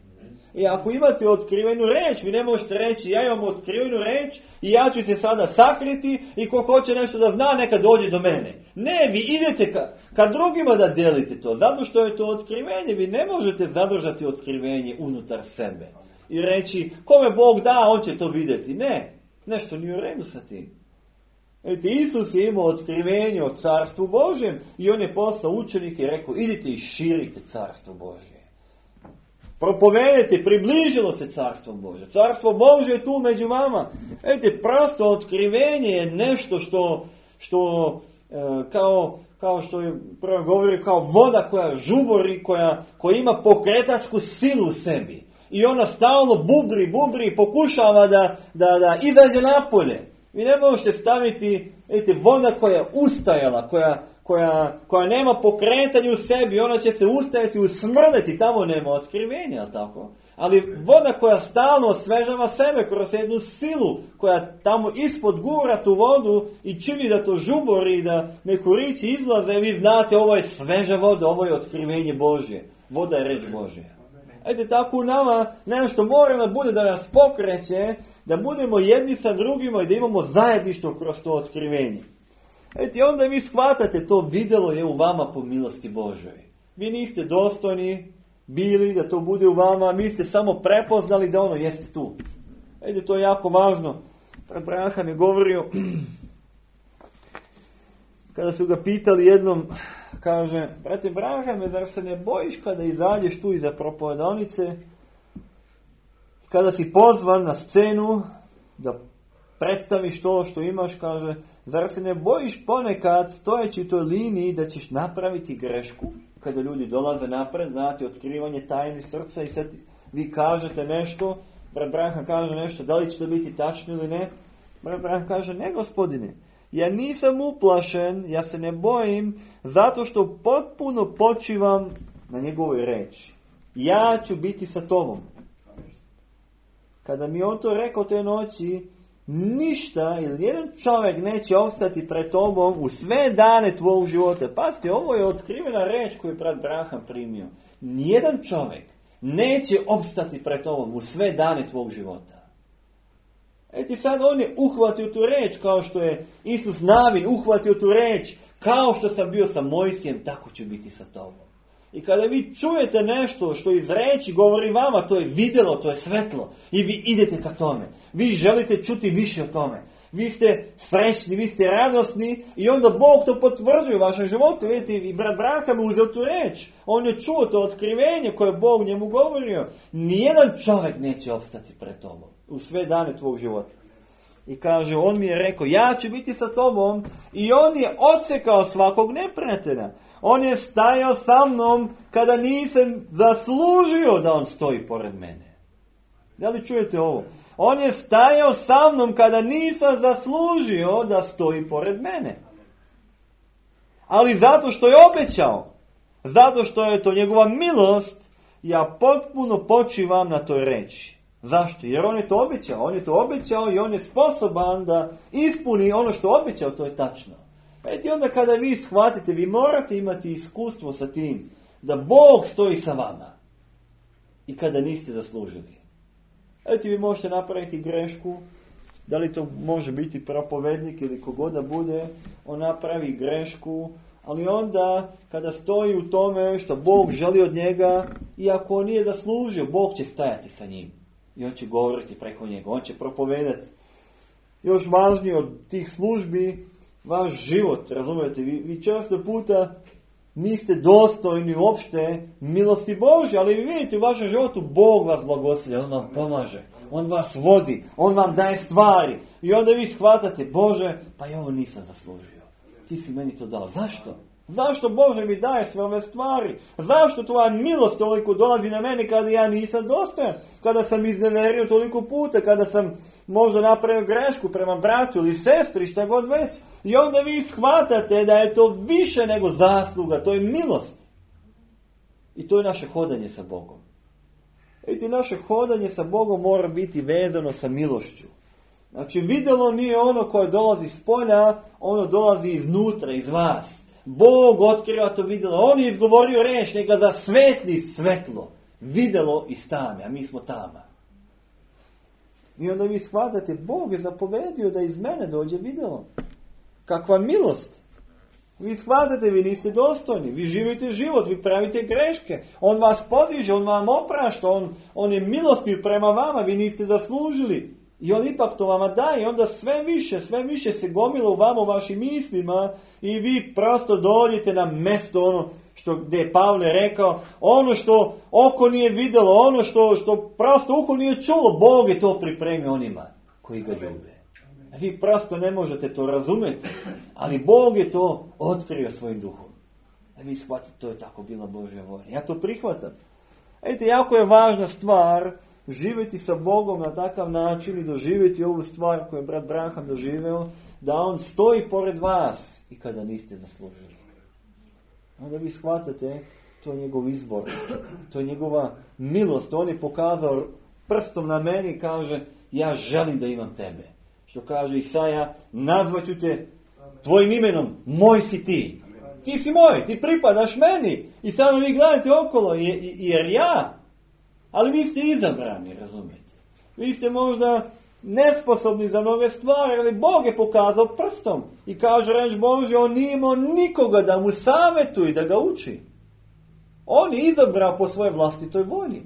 I ako imate otkrivenu reč, vi ne možete reći ja imam otkrivenu reč i ja ću se sada sakriti i ko hoće nešto da zna neka dođe do mene. Ne, vi idete ka drugima da delite to, zato što je to otkrivenje. Vi ne možete zadržati otkrivenje unutar sebe i reći kome Bog da, on će to vidjeti. Ne, nešto nije u redu sa tim. Isus je imao otkrivenje o carstvu Božjem i on je poslao učenike i rekao idite i širite carstvo Božje. Propovedete, približilo se carstvo Božje. Carstvo Božje je tu među vama. Prosto otkrivenje je nešto što kao što je prvo govorio, kao voda koja žubori, koja ima pokretačku silu u sebi. I ona stalno bubri i pokušava da izađe napolje. Vi ne možete staviti voda koja je ustajala, koja nema pokretanja u sebi, ona će se ustajati i usmrdeti, tamo nema otkrivenja, tako? Ali voda koja stalno osvežava sebe kroz jednu silu, koja tamo ispod gura tu vodu i čini da to žubori i da mekurići izlaze, vi znate ovo je sveža voda, ovo je otkrivenje Božje. Voda je reč Božja. Tako u nama nešto mora da bude da nas pokreće, da budemo jedni sa drugima i da imamo zajedništvo kroz to otkrivenje. Onda vi shvatate, to videlo je u vama po milosti Božoj. Vi niste dostojni bili da to bude u vama, mi ste samo prepoznali da ono jeste tu. To je jako važno. Abraham je govorio, kada su ga pitali jednom, kaže, brate Abrahame, zar se ne bojiš kada izađeš tu iza propovedonice, kada si pozvan na scenu da predstaviš to što imaš, kaže, zar se ne bojiš ponekad stojeći u toj liniji da ćeš napraviti grešku? Kada ljudi dolaze napred, znate, otkrivanje tajni srca i sad vi kažete nešto, brat Abraham kaže nešto, da li će to biti tačno ili ne? Brat Abraham kaže, ne gospodine, ja nisam uplašen, ja se ne bojim, zato što potpuno počivam na njegovoj reči. Ja ću biti sa tobom. Kada mi on to rekao te noći, ništa ili jedan čovjek neće opstati pred tobom u sve dane tvojeg života. Pazite, ovo je otkrivena reč koju je brat Abraham primio. Nijedan čovjek neće opstati pred tobom u sve dane tvojeg života. Sad on je uhvatio tu reč, kao što je Isus Navin uhvatio tu reč, kao što sam bio sa Mojsijem, tako ću biti sa tobom. I kada vi čujete nešto što iz reči govori vama, to je vidjelo, to je svetlo. I vi idete ka tome. Vi želite čuti više o tome. Vi ste srećni, vi ste radosni i onda Bog to potvrđuje u vašem životu. Vidite, i brat Abraham je uzeo tu reč. On je čuo to otkrivenje koje je Bog njemu govorio. Nijedan čovjek neće opstati pred tobom u sve dane tvog života. I kaže, on mi je rekao, ja ću biti sa tobom, i on je odsekao svakog neprijatelja. On je stajao sa mnom kada nisam zaslužio da on stoji pored mene. Da li čujete ovo? On je stajao sa mnom kada nisam zaslužio da stoji pored mene. Ali zato što je obećao, zato što je to njegova milost, ja potpuno počivam na toj reči. Zašto? Jer on je to obećao. On je to obećao i on je sposoban da ispuni ono što je obećao, to je tačno. I onda kada vi shvatite, vi morate imati iskustvo sa tim da Bog stoji sa vama i kada niste zaslužili. Vi možete napraviti grešku, da li to može biti propovednik ili kogod da bude, on napravi grešku, Ali onda, kada stoji u tome što Bog želi od njega, iako on nije zaslužio, Bog će stajati sa njim. I on će govoriti preko njega, on će propovedati. Još važnije od tih službi, vaš život, razumijete, vi često puta niste dostojni uopšte milosti Božje, ali vi vidite u vašem životu Bog vas blagoslivlja, on vam pomaže, on vas vodi, on vam daje stvari. I onda vi shvatate, Bože, pa ja ovo nisam zaslužio. Ti si meni to dao. Zašto? Zašto Bože mi daje sve ove stvari? Zašto tvoja milost toliko dolazi na mene kada ja nisam dostojan? Kada sam izneverio toliko puta, kada sam možda napravio grešku prema bratu ili sestri, šta god već. I onda vi shvatate da je to više nego zasluga, to je milost. I to je naše hodanje sa Bogom. Vidite, naše hodanje sa Bogom mora biti vezano sa milošću. Znači, vidjelo nije ono koje dolazi s polja, ono dolazi iznutra, iz vas. Bog otkriva to vidjelo. On je izgovorio reč, neka da svetli svetlo. Vidjelo iz tame, a mi smo tama. I onda vi shvatate, Bog je zapovedio da iz mene dođe vidjelo. Kakva milost! Vi shvatate, vi niste dostojni, vi živite život, vi pravite greške. On vas podiže, on vam oprašta, on je milostiv prema vama, vi niste zaslužili. I on ipak to vama daje, i onda sve više se gomila u vama, u vašim mislima, i vi prosto dođete na mjesto ono gdje je Pavle rekao, ono što oko nije vidjelo, ono što prosto uho nije čulo, Bog je to pripremio onima koji ga ljube. Vi prosto ne možete to razumjeti, ali Bog je to otkrio svojim duhom. A vi shvatite, to je tako bila Božja volja. Ja to prihvatam. Vidite, jako je važna stvar živjeti sa Bogom na takav način i doživjeti ovu stvar koju je brat Branham doživio, da on stoji pored vas i kada niste zaslužili. Onda vi shvatate, to je njegov izbor, to je njegova milost. On je pokazao prstom na meni i kaže, ja želim da imam tebe. Što kaže Isaja, nazvaću te tvojim imenom, moj si ti. Ti si moj, ti pripadaš meni. I sada vi gledate okolo, jer ja, ali vi ste izabrani, razumijete. Vi ste možda nesposobni za mnoge stvari, ali Bog je pokazao prstom. I kaže reč Božje, on nije imao nikoga da mu savjetuje, da ga uči. On je izabrao po svojoj vlastitoj volji.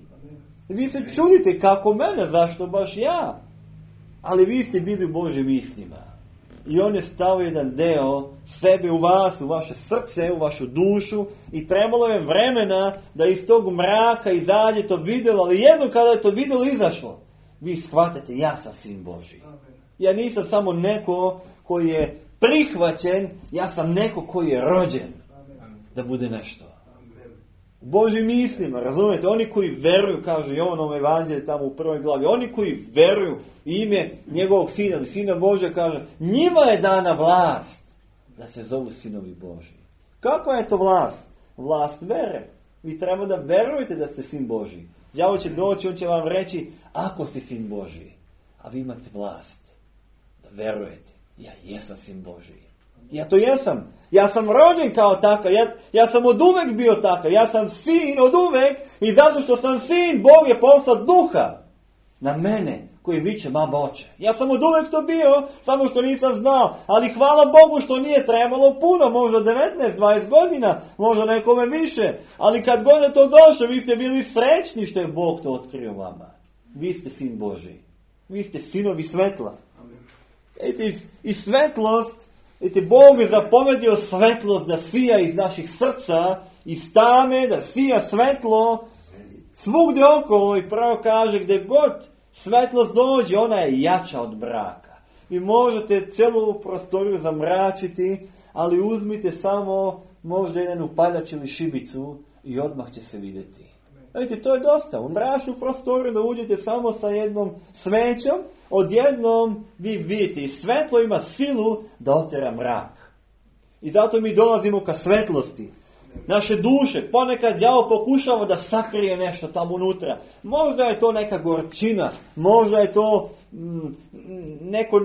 I vi se čudite kako mene, zašto baš ja? Ali vi ste bili u Božjim mislima. I on je stavio jedan deo sebe u vas, u vaše srce, u vašu dušu. I trebalo je vremena da iz tog mraka izađe to vidjelo. Ali jedno kada je to vidjelo izašlo, vi shvatate, ja sam sin Božji. Ja nisam samo neko koji je prihvaćen, ja sam neko koji je rođen da bude nešto. U Božjim mislima, razumijete, oni koji veruju, kaže Jovanom evanđelju tamo u 1. glavi, oni koji veruju ime njegovog sina, ili sina Božja, kaže, njima je dana vlast da se zovu sinovi Božji. Kakva je to vlast? Vlast vere. Vi treba da verujete da ste sin Božji. Đavo će doći, on će vam reći, ako ste sin Božji, a vi imate vlast da verujete, ja jesam sin Božji. Ja to jesam. Ja sam rođen kao takav. Ja sam od uvek bio takav. Ja sam sin od uvek i zato što sam sin, Bog je poslao duha na mene koji viče baba oče. Ja sam od uvek to bio, samo što nisam znao. Ali hvala Bogu što nije trebalo puno, možda 19-20 godina, možda nekome više. Ali kad god je to došlo, vi ste bili srećni što je Bog to otkrio vama. Vi ste sin Božji. Vi ste sinovi svetla. I svetlost, Bog je zapovedio svetlost da sija iz naših srca, iz tame, da sija svetlo svugdje okolo i pravo kaže gdje god svetlost dođe, ona je jača od mraka. Vi možete cijelu ovu prostoriju zamračiti, ali uzmite samo možda jedan upaljač ili šibicu i odmah će se vidjeti. Vidite, to je dosta. U mračnu prostoriju da uđete samo sa jednom svećom, odjednom vi vidite i svetlo ima silu da otjera mrak. I zato mi dolazimo ka svetlosti. Naše duše, ponekad đavo pokušava da sakrije nešto tamo unutra. Možda je to neka gorčina, možda je to neko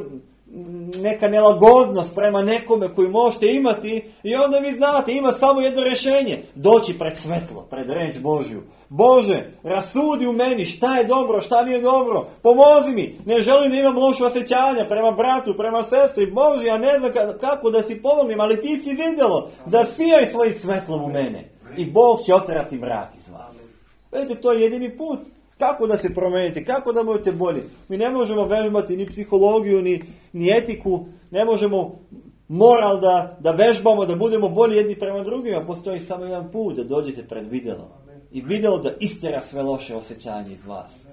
neka nelagodnost prema nekome koji možete imati i onda vi znate, ima samo jedno rješenje. Doći pred svetlo, pred reč Božju. Bože, rasudi u meni šta je dobro, šta nije dobro. Pomozi mi, ne želim da imam loše osjećanja prema bratu, prema sestri. Bože, ja ne znam kako da si pomognem, ali ti si vidjelo. Zasijaj svojim svetlom u mene. I Bog će oterati mrak iz vas. Vidite, to je jedini put. Kako da se promenite, kako da budete bolji. Mi ne možemo vežbati ni psihologiju, ni etiku, ne možemo moral da vežbamo, da budemo bolji jedni prema drugima. Postoji samo jedan put da dođete pred vidjelo. I vidjelo da istjera sve loše osjećanje iz vas.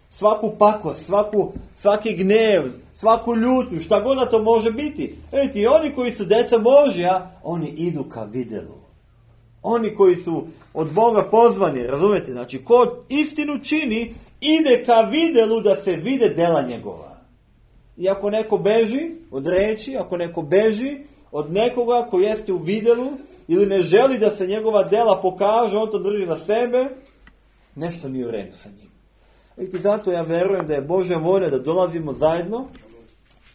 Svaku pakost, svaki gnev, svaku ljutnju, šta god da to može biti. Vidite, i oni koji su djeca Božja, oni idu ka vidjelu. Oni koji su od Boga pozvani, razumijete? Znači, ko istinu čini, ide ka vidjelu da se vide dela njegova. I ako neko beži od reči, ako neko beži od nekoga koji jeste u vidjelu, ili ne želi da se njegova dela pokaže, on to drži za sebe, nešto nije u redu sa njim. Vidite, zato ja verujem da je Božja volja da dolazimo zajedno,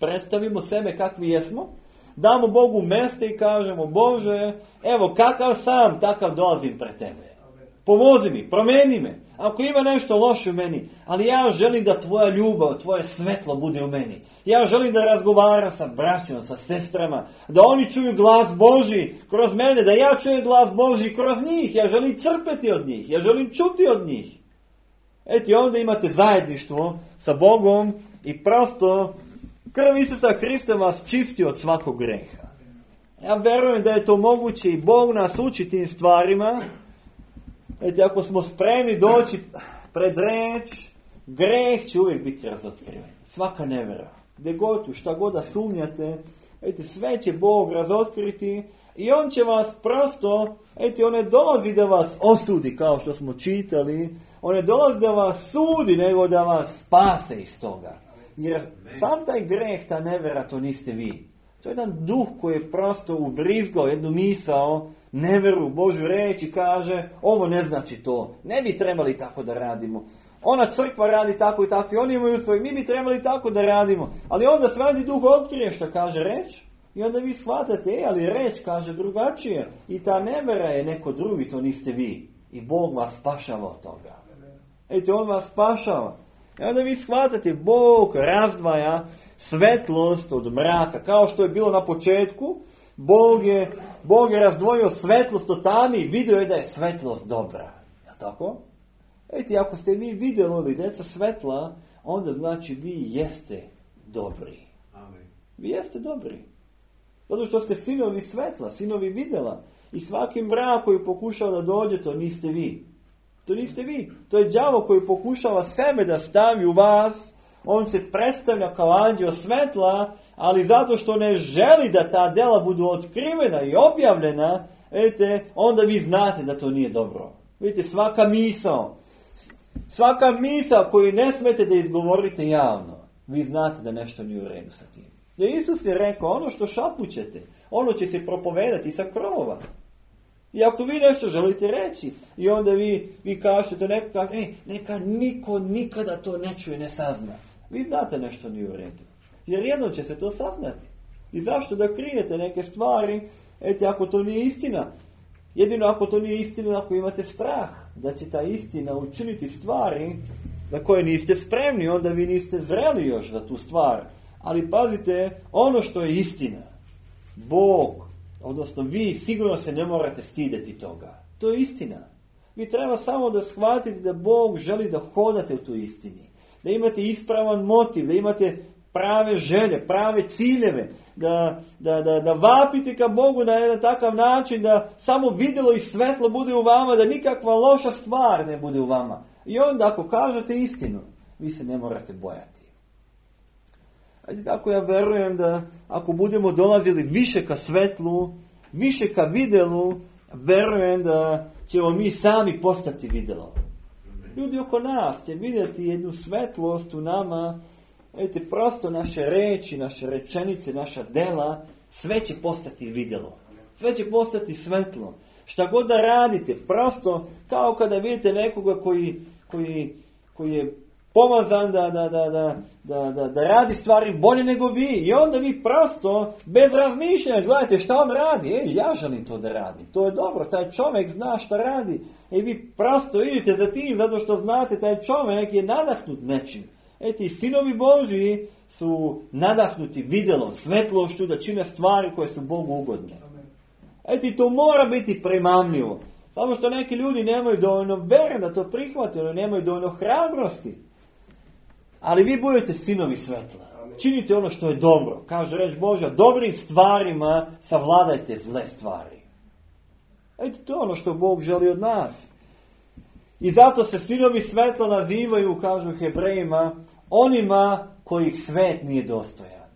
predstavimo sebe kakvi jesmo, damo Bogu mjeste i kažemo, Bože, evo kakav sam, takav dolazim pred tebe. Pomozi mi, promeni me. Ako ima nešto loše u meni, ali ja želim da tvoja ljubav, tvoje svetlo bude u meni. Ja želim da razgovaram sa braćom, sa sestrama, da oni čuju glas Božji kroz mene, da ja čujem glas Božji kroz njih. Ja želim crpeti od njih, ja želim čuti od njih. Eto, onda imate zajedništvo sa Bogom i prosto krv Isusa Hrista vas čisti od svakog greha. Ja verujem da je to moguće i Bog nas uči tim stvarima. Eto, ako smo spremni doći pred reč, greh će uvijek biti razotkriven. Svaka nevjera. Gdje god, šta god da sumnjate, eto, sve će Bog razotkriti i on će vas prosto, eto, on ne dolazi da vas osudi kao što smo čitali, on ne dolazi da vas sudi, nego da vas spase iz toga. Jer sam taj greh, ta nevjera, to niste vi. To je jedan duh koji je prosto ubrizgao jednu misao, nevjeru, Božju reč i kaže, ovo ne znači to, ne bi trebali tako da radimo. Ona crkva radi tako i tako i oni imaju uspjeh, mi bi trebali tako da radimo. Ali onda Sveti Duh otkrije što kaže reč i onda vi shvatate, ali reč kaže drugačije. I ta nevjera je neko drugi, to niste vi. I Bog vas spašava od toga. Eto, on vas spašava. I onda vi shvatate, Bog razdvaja svetlost od mraka. Kao što je bilo na početku, Bog je razdvojio svetlost od tami i vidio je da je svetlost dobra. Je tako? Eto, ako ste vi vidjeli djeca svetla, onda znači vi jeste dobri. Amen. Vi jeste dobri. Zato što ste sinovi svetla, sinovi vidjela. I svaki mrak koji pokušao da dođe, to niste vi. To niste vi. To je đavo koji pokušava sebe da stavi u vas. On se predstavlja kao anđeo svetla, ali zato što ne želi da ta dela budu otkrivena i objavljena, vidite, onda vi znate da to nije dobro. Vidite, svaka misao koju ne smete da izgovorite javno, vi znate da nešto nije u redu sa tim. Jer Isus je rekao, ono što šapućete, ono će se propovedati sa krovova. I ako vi nešto želite reći, i onda vi kažete, neka niko nikada to ne čuje, ne sazna. Vi znate nešto nije u redu. Jer jedno će se to saznati. I zašto da krijete neke stvari, ako to nije istina? Jedino ako to nije istina, ako imate strah da će ta istina učiniti stvari na koje niste spremni, onda vi niste zreli još za tu stvar. Ali pazite, ono što je istina, Bog, odnosno vi sigurno se ne morate stideti toga. To je istina. Vi treba samo da shvatite da Bog želi da hodate u tu istini. Da imate ispravan motiv, da imate prave želje, prave ciljeve, da vapite ka Bogu na jedan takav način da samo vidjelo i svetlo bude u vama, da nikakva loša stvar ne bude u vama. I onda ako kažete istinu, vi se ne morate bojati. Tako ja verujem da ako budemo dolazili više ka svetlu, više ka vidjelu, verujem da ćemo mi sami postati vidjelo. Ljudi oko nas će vidjeti jednu svetlost u nama. Vidite, prosto naše reči, naše rečenice, naša dela, sve će postati vidjelo. Sve će postati svetlo. Šta god da radite, prosto kao kada vidite nekoga koji je pomazan da radi stvari bolje nego vi. I onda vi prosto, bez razmišljanja, gledajte šta on radi. Ja želim to da radim. To je dobro, taj čovjek zna šta radi. I vi prosto idete za tim, zato što znate, taj čovjek je nadahnut nečim. Ti sinovi Božji su nadahnuti vidjelom, svetlošću da čine stvari koje su Bogu ugodne. To mora biti primamljivo. Samo što neki ljudi nemaju dovoljno vere da to prihvate, ili nemaju dovoljno hrabrosti. Ali vi budete sinovi svetla. Činite ono što je dobro. Kaže reč Božja, dobrim stvarima savladajte zle stvari. To je ono što Bog želi od nas. I zato se sinovi svetla nazivaju, kažu Hebrejima, onima kojih svet nije dostojan.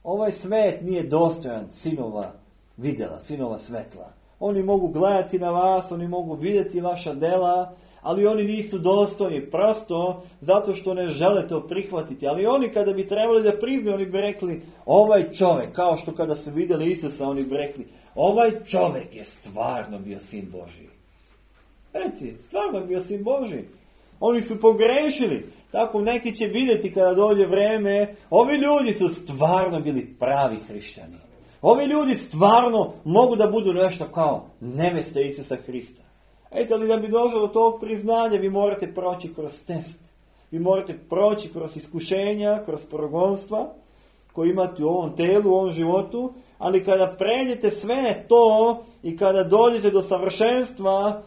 Ovaj svet nije dostojan sinova vidjela, sinova svetla. Oni mogu gledati na vas, oni mogu vidjeti vaša dela, ali oni nisu dostojni, prosto zato što ne žele to prihvatiti. Ali oni kada bi trebali da priznaju, oni bi rekli, ovaj čovjek, kao što kada su vidjeli Isusa, oni bi rekli, ovaj čovjek je stvarno bio sin Božji. Stvarno bio sin Božji. Oni su pogrešili. Tako neki će vidjeti kada dođe vreme, ovi ljudi su stvarno bili pravi hrišćani. Ovi ljudi stvarno mogu da budu nešto kao neveste Isusa Hrista. Ali da bi došlo do tog priznanja, vi morate proći kroz test. Vi morate proći kroz iskušenja, kroz progonstva koje imate u ovom telu, u ovom životu. Ali kada pređete sve to i kada dođete do savršenstva,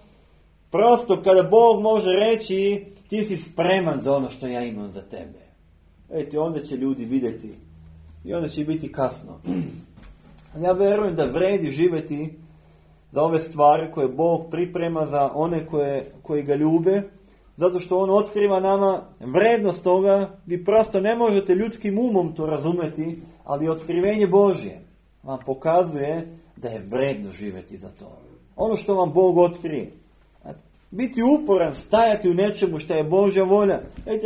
prosto kada Bog može reći, ti si spreman za ono što ja imam za tebe. Onda će ljudi vidjeti i onda će biti kasno. Ja vjerujem da vredi živjeti za ove stvari koje Bog priprema za one koji ga ljube, zato što on otkriva nama vrednost toga. Vi prosto ne možete ljudskim umom to razumjeti, ali otkrivenje Božje vam pokazuje da je vredno živjeti za to. Ono što vam Bog otkrije. Biti uporan, stajati u nečemu što je Božja volja.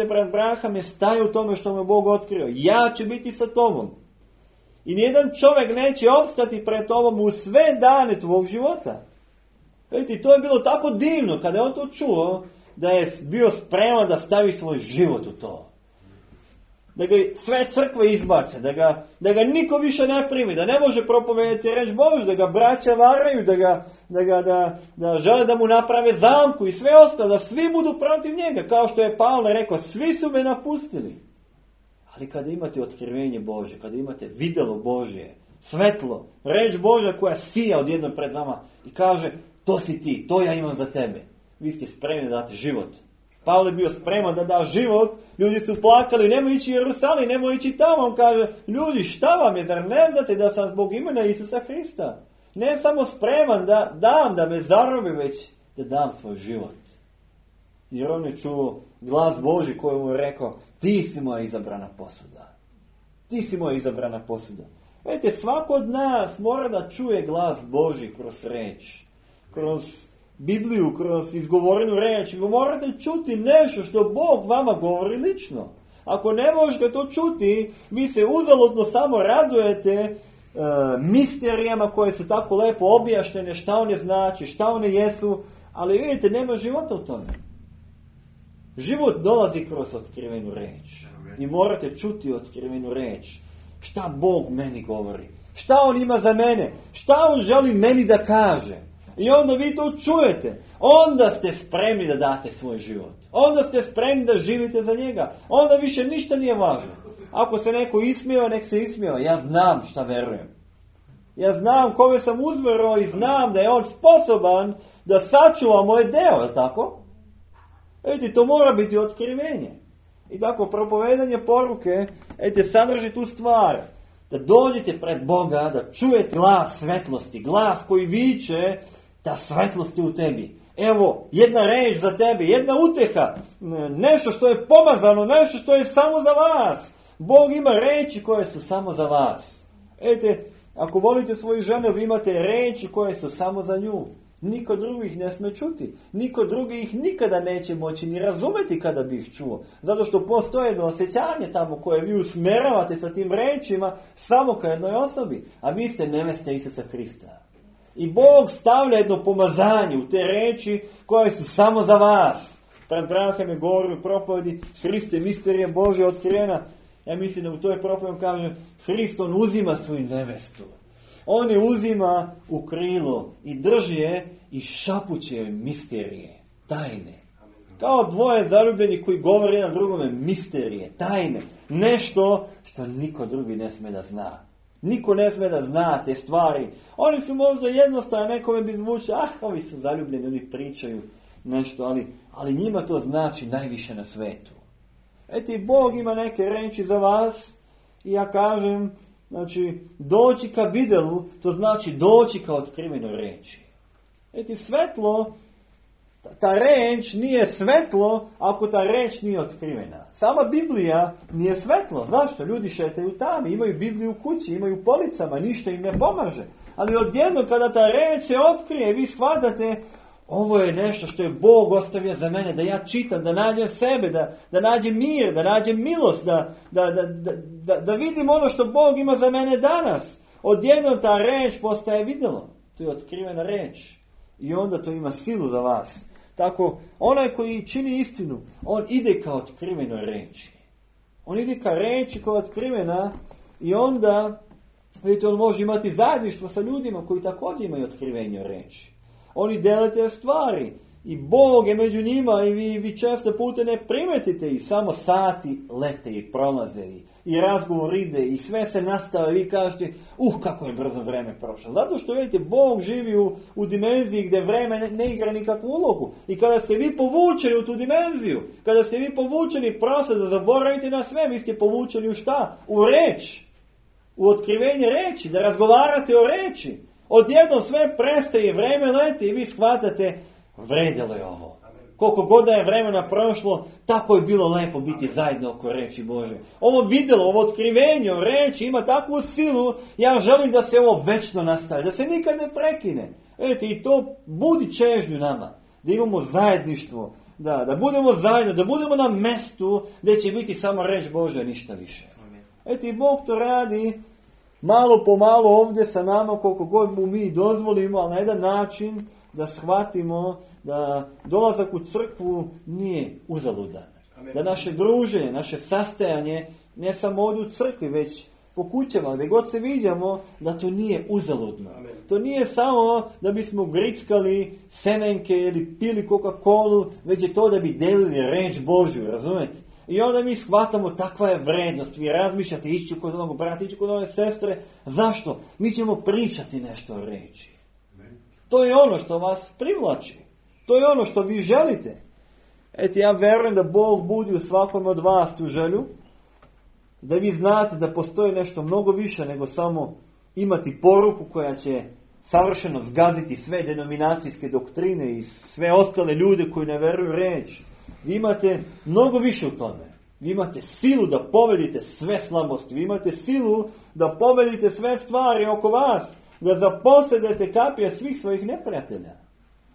Brat Braham je stajao u tome što mu je Bog otkrio. Ja ću biti sa tobom. I nijedan čovjek neće opstati pred tobom u sve dane tvog života. To je bilo tako divno kada je on to čuo, da je bio spreman da stavi svoj život u to. Da ga sve crkve izbace, da ga niko više ne primi, da ne može propovedati reč Božju, da ga braća varaju, da žele da mu naprave zamku i sve ostalo, da svi budu protiv njega. Kao što je Pavle rekao, svi su me napustili. Ali kada imate otkrivenje Božje, kada imate vidjelo Božje, svetlo, reč Božja koja sija odjednom pred vama i kaže, to si ti, to ja imam za tebe. Vi ste spremni da date život. Pavle bio spreman da da život, ljudi su plakali, nemoj ići u Jerusalim, nemoj ići tamo. On kaže, ljudi, šta vam je, zar ne znate da sam zbog imena Isusa Hrista? Ne samo spreman da dam, da me zarobi, već da dam svoj život. Jer on je čuo glas Božji koji mu je rekao, ti si moja izabrana posuda. Ti si moja izabrana posuda. Vidite, svako od nas mora da čuje glas Božji kroz reč, kroz Bibliju, kroz izgovorenu reč. Vi morate čuti nešto što Bog vama govori lično. Ako ne možete to čuti, vi se uzaludno samo radujete misterijama koje su tako lepo objašnjene, šta one znači, šta one jesu, ali vidite, nema života u tome. Život dolazi kroz otkrivenu reč. I morate čuti otkrivenu reč. Šta Bog meni govori? Šta on ima za mene? Šta on želi meni da kaže? I onda vi to čujete. Onda ste spremni da date svoj život. Onda ste spremni da živite za njega. Onda više ništa nije važno. Ako se neko ismijeva, nek se ismijeva. Ja znam šta verujem. Ja znam kome sam uzverao i znam da je on sposoban da sačuva moje deo, je li tako? Vidite, to mora biti otkrivenje. I tako, propovedanje poruke, sadrži tu stvar. Da dođete pred Boga, da čujete glas svetlosti, glas koji viče da svetlost je u tebi. Evo, jedna reč za tebe, jedna uteha, nešto što je pomazano, nešto što je samo za vas. Bog ima reči koje su samo za vas. Ako volite svoju ženu, vi imate reči koje su samo za nju. Niko drugi ih ne sme čuti. Niko drugi ih nikada neće moći ni razumeti kada bi ih čuo. Zato što postoje jedno osjećanje tamo koje vi usmeravate sa tim rečima samo ka jednoj osobi. A vi ste nevesta Isusa Hrista. I Bog stavlja jedno pomazanje u te reči koje su samo za vas. Brat Branham je govorio u propovedi Hriste, misterija Božja otkrivena. Ja mislim da u toj propovedi kaže Hrist, on uzima svoju nevestu. On je uzima u krilo i drži je i šapuće misterije, tajne. Kao dvoje zaljubljeni koji govore jedan drugome misterije, tajne. Nešto što niko drugi ne sme da zna. Niko ne sme da zna te stvari. Oni su možda jednostavno, nekome bi zvučili, ovi su zaljubljeni, oni pričaju nešto, ali njima to znači najviše na svetu. Eti, Bog ima neke reči za vas i ja kažem, znači, doći ka videlu, to znači doći ka otkrivenoj reči. Eti, svetlo, ta reč nije svetlo ako ta reč nije otkrivena. Sama Biblija nije svetlo. Zašto? Ljudi šetaju tamo, imaju Bibliju u kući, imaju u policama, ništa im ne pomaže. Ali odjedno kada ta reč se otkrije, vi shvatate, ovo je nešto što je Bog ostavio za mene, da ja čitam, da nađem sebe, da nađem mir, da nađem milost, da vidim ono što Bog ima za mene danas. Odjedno ta reč postaje videlo. To je otkrivena reč. I onda to ima silu za vas. Tako, onaj koji čini istinu, on ide ka otkrivenoj reči. On ide ka reči koja je otkrivena i onda, vidite, on može imati zajedništvo sa ljudima koji također imaju otkrivenje reči. Oni dele te stvari i Bog je među njima i vi često puta ne primetite i samo sati lete i prolaze i razgovor ide i sve se nastavlja i vi kažete, kako je brzo vreme prošlo. Zato što vidite, Bog živi u dimenziji gdje vreme ne igra nikakvu ulogu. I kada ste vi povučeni u tu dimenziju, kada ste vi povučeni prosto da zaboravite na sve, vi ste povučeni u šta? U reč. U otkrivenje reči, da razgovarate o reči. Odjednom sve prestaje, vreme leti i vi shvatate, vredilo je ovo. Koliko god da je vremena prošlo, tako je bilo lepo biti zajedno oko reči Bože. Ovo vidjelo, ovo otkrivenje o reči ima takvu silu, ja želim da se ovo večno nastavi, da se nikad ne prekine. Vidite, i to budi čežnju nama, da imamo zajedništvo, da budemo zajedno, da budemo na mestu gdje će biti samo reč Bože, ništa više. Vidite, i Bog to radi malo po malo ovdje sa nama, koliko god mu mi dozvolimo, ali na jedan način da shvatimo da dolazak u crkvu nije uzaludan. Amen. Da naše druženje, naše sastajanje, ne samo ovdje u crkvi, već po kućama, gdje god se viđamo, da to nije uzaludno. Amen. To nije samo da bismo grickali semenke ili pili Coca-Colu, već je to da bi delili reč Božju, razumete? I onda mi shvatamo, takva je vrednost. Vi razmišljate, ići kod onog brata, ići kod ove sestre. Zašto? Mi ćemo pričati nešto o reči. To je ono što vas privlači. To je ono što vi želite. Eto, ja vjerujem da Bog budi u svakom od vas tu želju. Da vi znate da postoji nešto mnogo više nego samo imati poruku koja će savršeno zgaziti sve denominacijske doktrine i sve ostale ljude koji ne vjeruju reč. Vi imate mnogo više u tome. Vi imate silu da pobedite sve slabosti. Vi imate silu da pobedite sve stvari oko vas. Da zaposedete kapije svih svojih neprijatelja.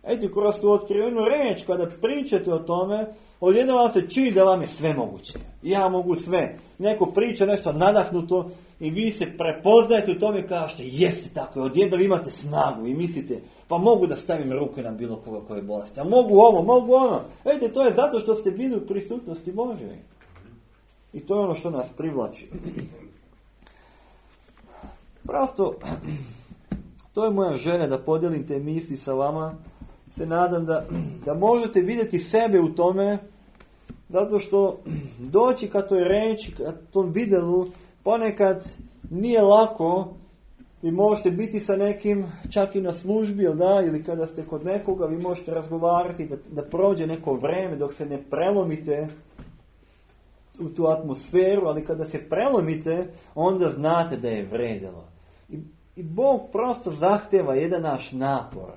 Eto, kroz tu otkrivenu reč, kada pričate o tome, odjednom vam se čini da vam je sve moguće. Ja mogu sve. Neko priča nešto nadahnuto i vi se prepoznajete u tome i kažete, jeste tako, odjednom imate snagu i mislite, pa mogu da stavim ruke na bilo koga koje je bolesti. A mogu ovo, mogu ono. Vidite, to je zato što ste bili u prisutnosti Božje. I to je ono što nas privlači. Prosto, to je moja želja da podijelim te misli sa vama. Se nadam da možete vidjeti sebe u tome, zato što doći ka toj reči, ka tom videlu, ponekad nije lako. Vi možete biti sa nekim čak i na službi, ili kada ste kod nekoga, vi možete razgovarati da prođe neko vreme dok se ne prelomite u tu atmosferu, ali kada se prelomite, onda znate da je vredilo. I Bog prosto zahteva jedan naš napor,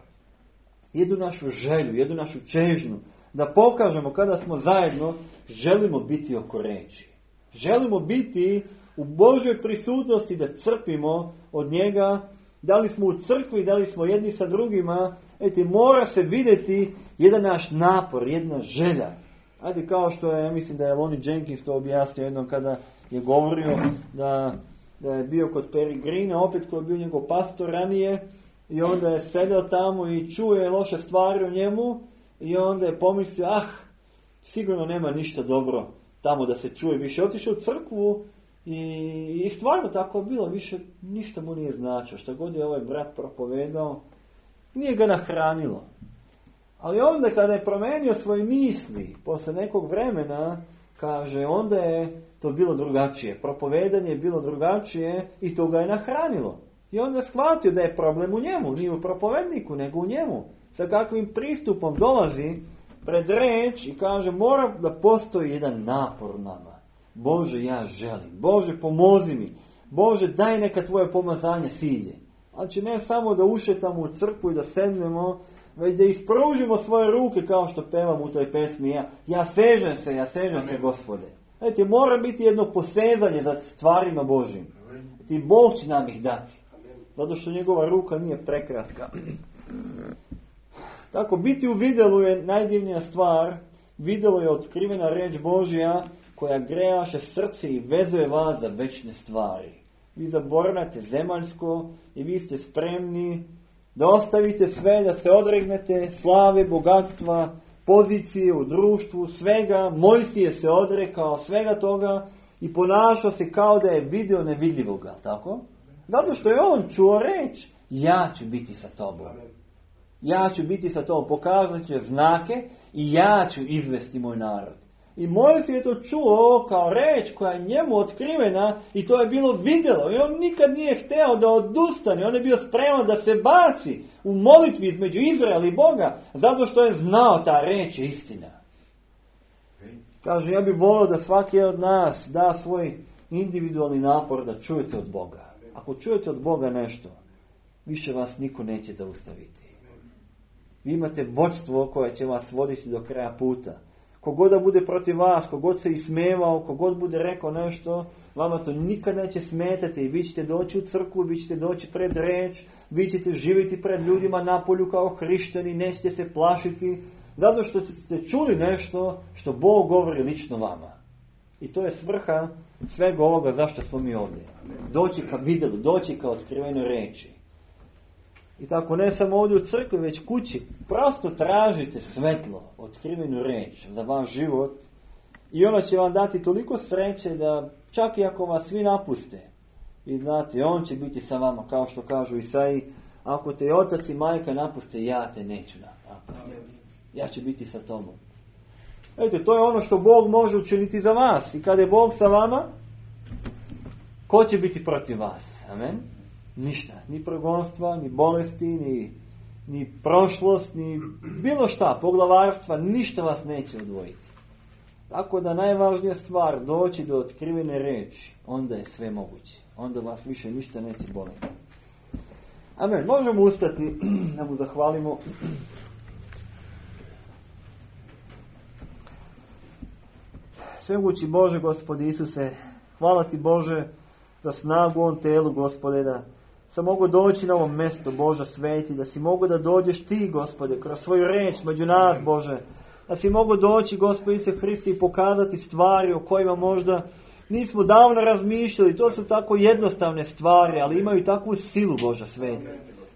jednu našu želju, jednu našu čežnju, da pokažemo kada smo zajedno, želimo biti oko reči. Želimo biti u Božoj prisutnosti da crpimo od njega, da li smo u crkvi, da li smo jedni sa drugima, mora se vidjeti jedan naš napor, jedna želja. Ajde, kao što je, ja mislim da je Lonnie Jenkins to objasnio jednom kada je govorio da je bio kod Peregrina, opet koji je bio njegov pastor ranije, i onda je sedeo tamo i čuje loše stvari o njemu, i onda je pomislio, sigurno nema ništa dobro tamo da se čuje više. Otišao u crkvu i stvarno tako je bilo, više ništa mu nije značilo. Šta god je ovaj brat propovedao, nije ga nahranilo. Ali onda kada je promenio svoje misli, posle nekog vremena, kaže, onda je to bilo drugačije. Propovedanje je bilo drugačije i to ga je nahranilo. I onda je shvatio da je problem u njemu, nije u propovedniku, nego u njemu. Sa kakvim pristupom dolazi pred reč i kaže, mora da postoji jedan napor u nama. Bože, ja želim. Bože, pomozi mi. Bože, daj neka tvoje pomazanje siđe. Znači, ne samo da ušetamo u crkvu i da sednemo, već da ispružimo svoje ruke kao što pevamo u toj pesmi. Ja sežem se, Gospode. Znači, mora biti jedno posezanje za stvarima Božim. I Bog će nam ih dati. Zato što njegova ruka nije prekratka. Tako, biti u videlu je najdivnija stvar. Videlo je otkrivena reč Božja koja grejaše srce i vezuje vas za večne stvari. Vi zaboravljate zemaljsko i vi ste spremni da ostavite sve, da se odregnete slave, bogatstva, pozicije u društvu, svega. Mojsije se odrekao svega toga i ponašao se kao da je video nevidljivoga, tako? Zato što je on čuo reč, ja ću biti sa tobom. Ja ću biti sa tobom, pokazat će znake i ja ću izvesti moj narod. I Mojsije je to čuo kao reč koja je njemu otkrivena i to je bilo vidjelo. I on nikad nije hteo da odustane. On je bio spreman da se baci u molitvi između Izraela i Boga, zato što je znao ta reč je istina. Kaže, ja bih volio da svaki od nas da svoj individualni napor da čujete od Boga. Ako čujete od Boga nešto, više vas niko neće zaustaviti. Vi imate vodstvo koje će vas voditi do kraja puta. Kogod da bude protiv vas, kogod se ismevao, kogod bude rekao nešto, vama to nikad neće smetati i vi ćete doći u crkvu, vi ćete doći pred reč, vi ćete živjeti pred ljudima na polju kao hrišćani, nećete se plašiti, zato što ste čuli nešto što Bog govori lično vama. I to je svrha svega ovoga zašto smo mi ovdje. Doći ka vidjelu, doći ka otkrivenoj reči. I tako ne samo ovdje u crkvi, već kući. Prosto tražite svetlo, otkrivenu reč za vaš život i ona će vam dati toliko sreće da čak i ako vas svi napuste, vi znate, on će biti sa vama, kao što kažu Isaiji, ako te otac i majka napuste, ja te neću napustiti. Ja ću biti sa tobom. Vidite, to je ono što Bog može učiniti za vas. I kada je Bog sa vama, ko će biti protiv vas? Amen? Ništa. Ni progonstva, ni bolesti, ni prošlost, ni bilo šta, poglavarstva, ništa vas neće odvojiti. Tako da najvažnija stvar, doći do otkrivene reči, onda je sve moguće. Onda vas više ništa neće boliti. Amen. Možemo ustati da mu zahvalimo. Svemogući Bože, Gospode Isuse, hvala ti Bože za snagu u ovom telu, Gospode, da sam mogu doći na ovo mjesto, Bože sveti, da si mogu da dođeš ti, Gospode, kroz svoju reč među nas, Bože, da si mogu doći, Gospode Isuse Hristi, i pokazati stvari o kojima možda nismo davno razmišljali. To su tako jednostavne stvari, ali imaju takvu silu, Bože sveti.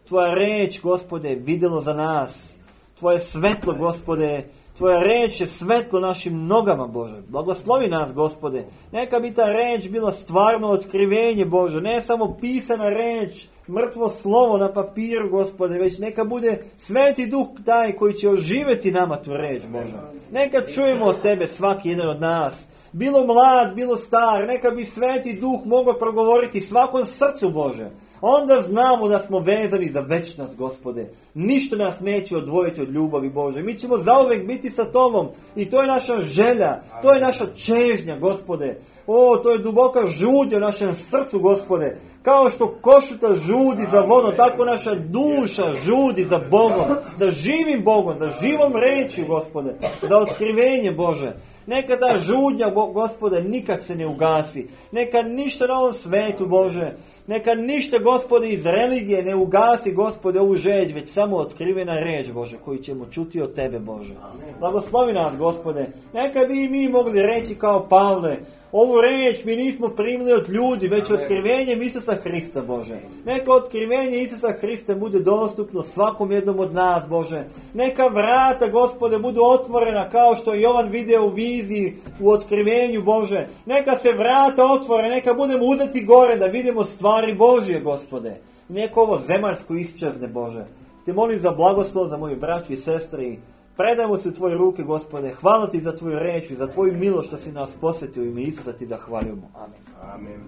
Tvoja reč, Gospode, vidjelo za nas. Tvoje svetlo, Gospode, Tvoja reč je svetlo našim nogama, Bože. Blagoslovi nas, Gospode. Neka bi ta reč bila stvarno otkrivenje, Bože. Ne samo pisana reč, mrtvo slovo na papiru, Gospode, već neka bude Sveti Duh taj koji će oživjeti nama tu reč, Bože. Neka čujemo od Tebe svaki jedan od nas. Bilo mlad, bilo star, neka bi Sveti Duh mogao progovoriti svakom srcu, Bože. Onda znamo da smo vezani za večnost, Gospode. Ništa nas neće odvojiti od ljubavi, Bože. Mi ćemo zauvek biti sa Tobom i to je naša želja, to je naša čežnja, Gospode. O, to je duboka žudnja u našem srcu, Gospode. Kao što košuta žudi za vodom, tako naša duša žudi za Bogom, za živim Bogom, za živom reči, Gospode, za otkrivenje, Bože. Neka ta žudnja, Gospode, nikad se ne ugasi. Neka ništa na ovom svetu, Bože, Neka ništa, Gospode, iz religije ne ugasi, Gospode, ovu žeđ, već samo otkrivena reč, Bože, koju ćemo čuti od Tebe, Bože. Blagoslovi nas, Gospode. Neka bi i mi mogli reći kao Pavle, ovu reč mi nismo primili od ljudi, već otkrivenjem Isusa Hrista, Bože. Neka otkrivenje Isusa Hrista bude dostupno svakom jednom od nas, Bože. Neka vrata, Gospode, budu otvorena kao što je Jovan video u viziji, u otkrivenju, Bože. Neka se vrata otvore, neka budemo uzeti gore da vidimo stvari Božje, Gospode. Neka ovo zemaljsko iščezne, Bože. Te molim za blagoslov za moju braću i sestre i predajmo se u Tvoje ruke, Gospode. Hvala Ti za Tvoju reč i za Tvoju milost što si nas posjetio. U ime Isusa Ti zahvaljujemo. Amen. Amen.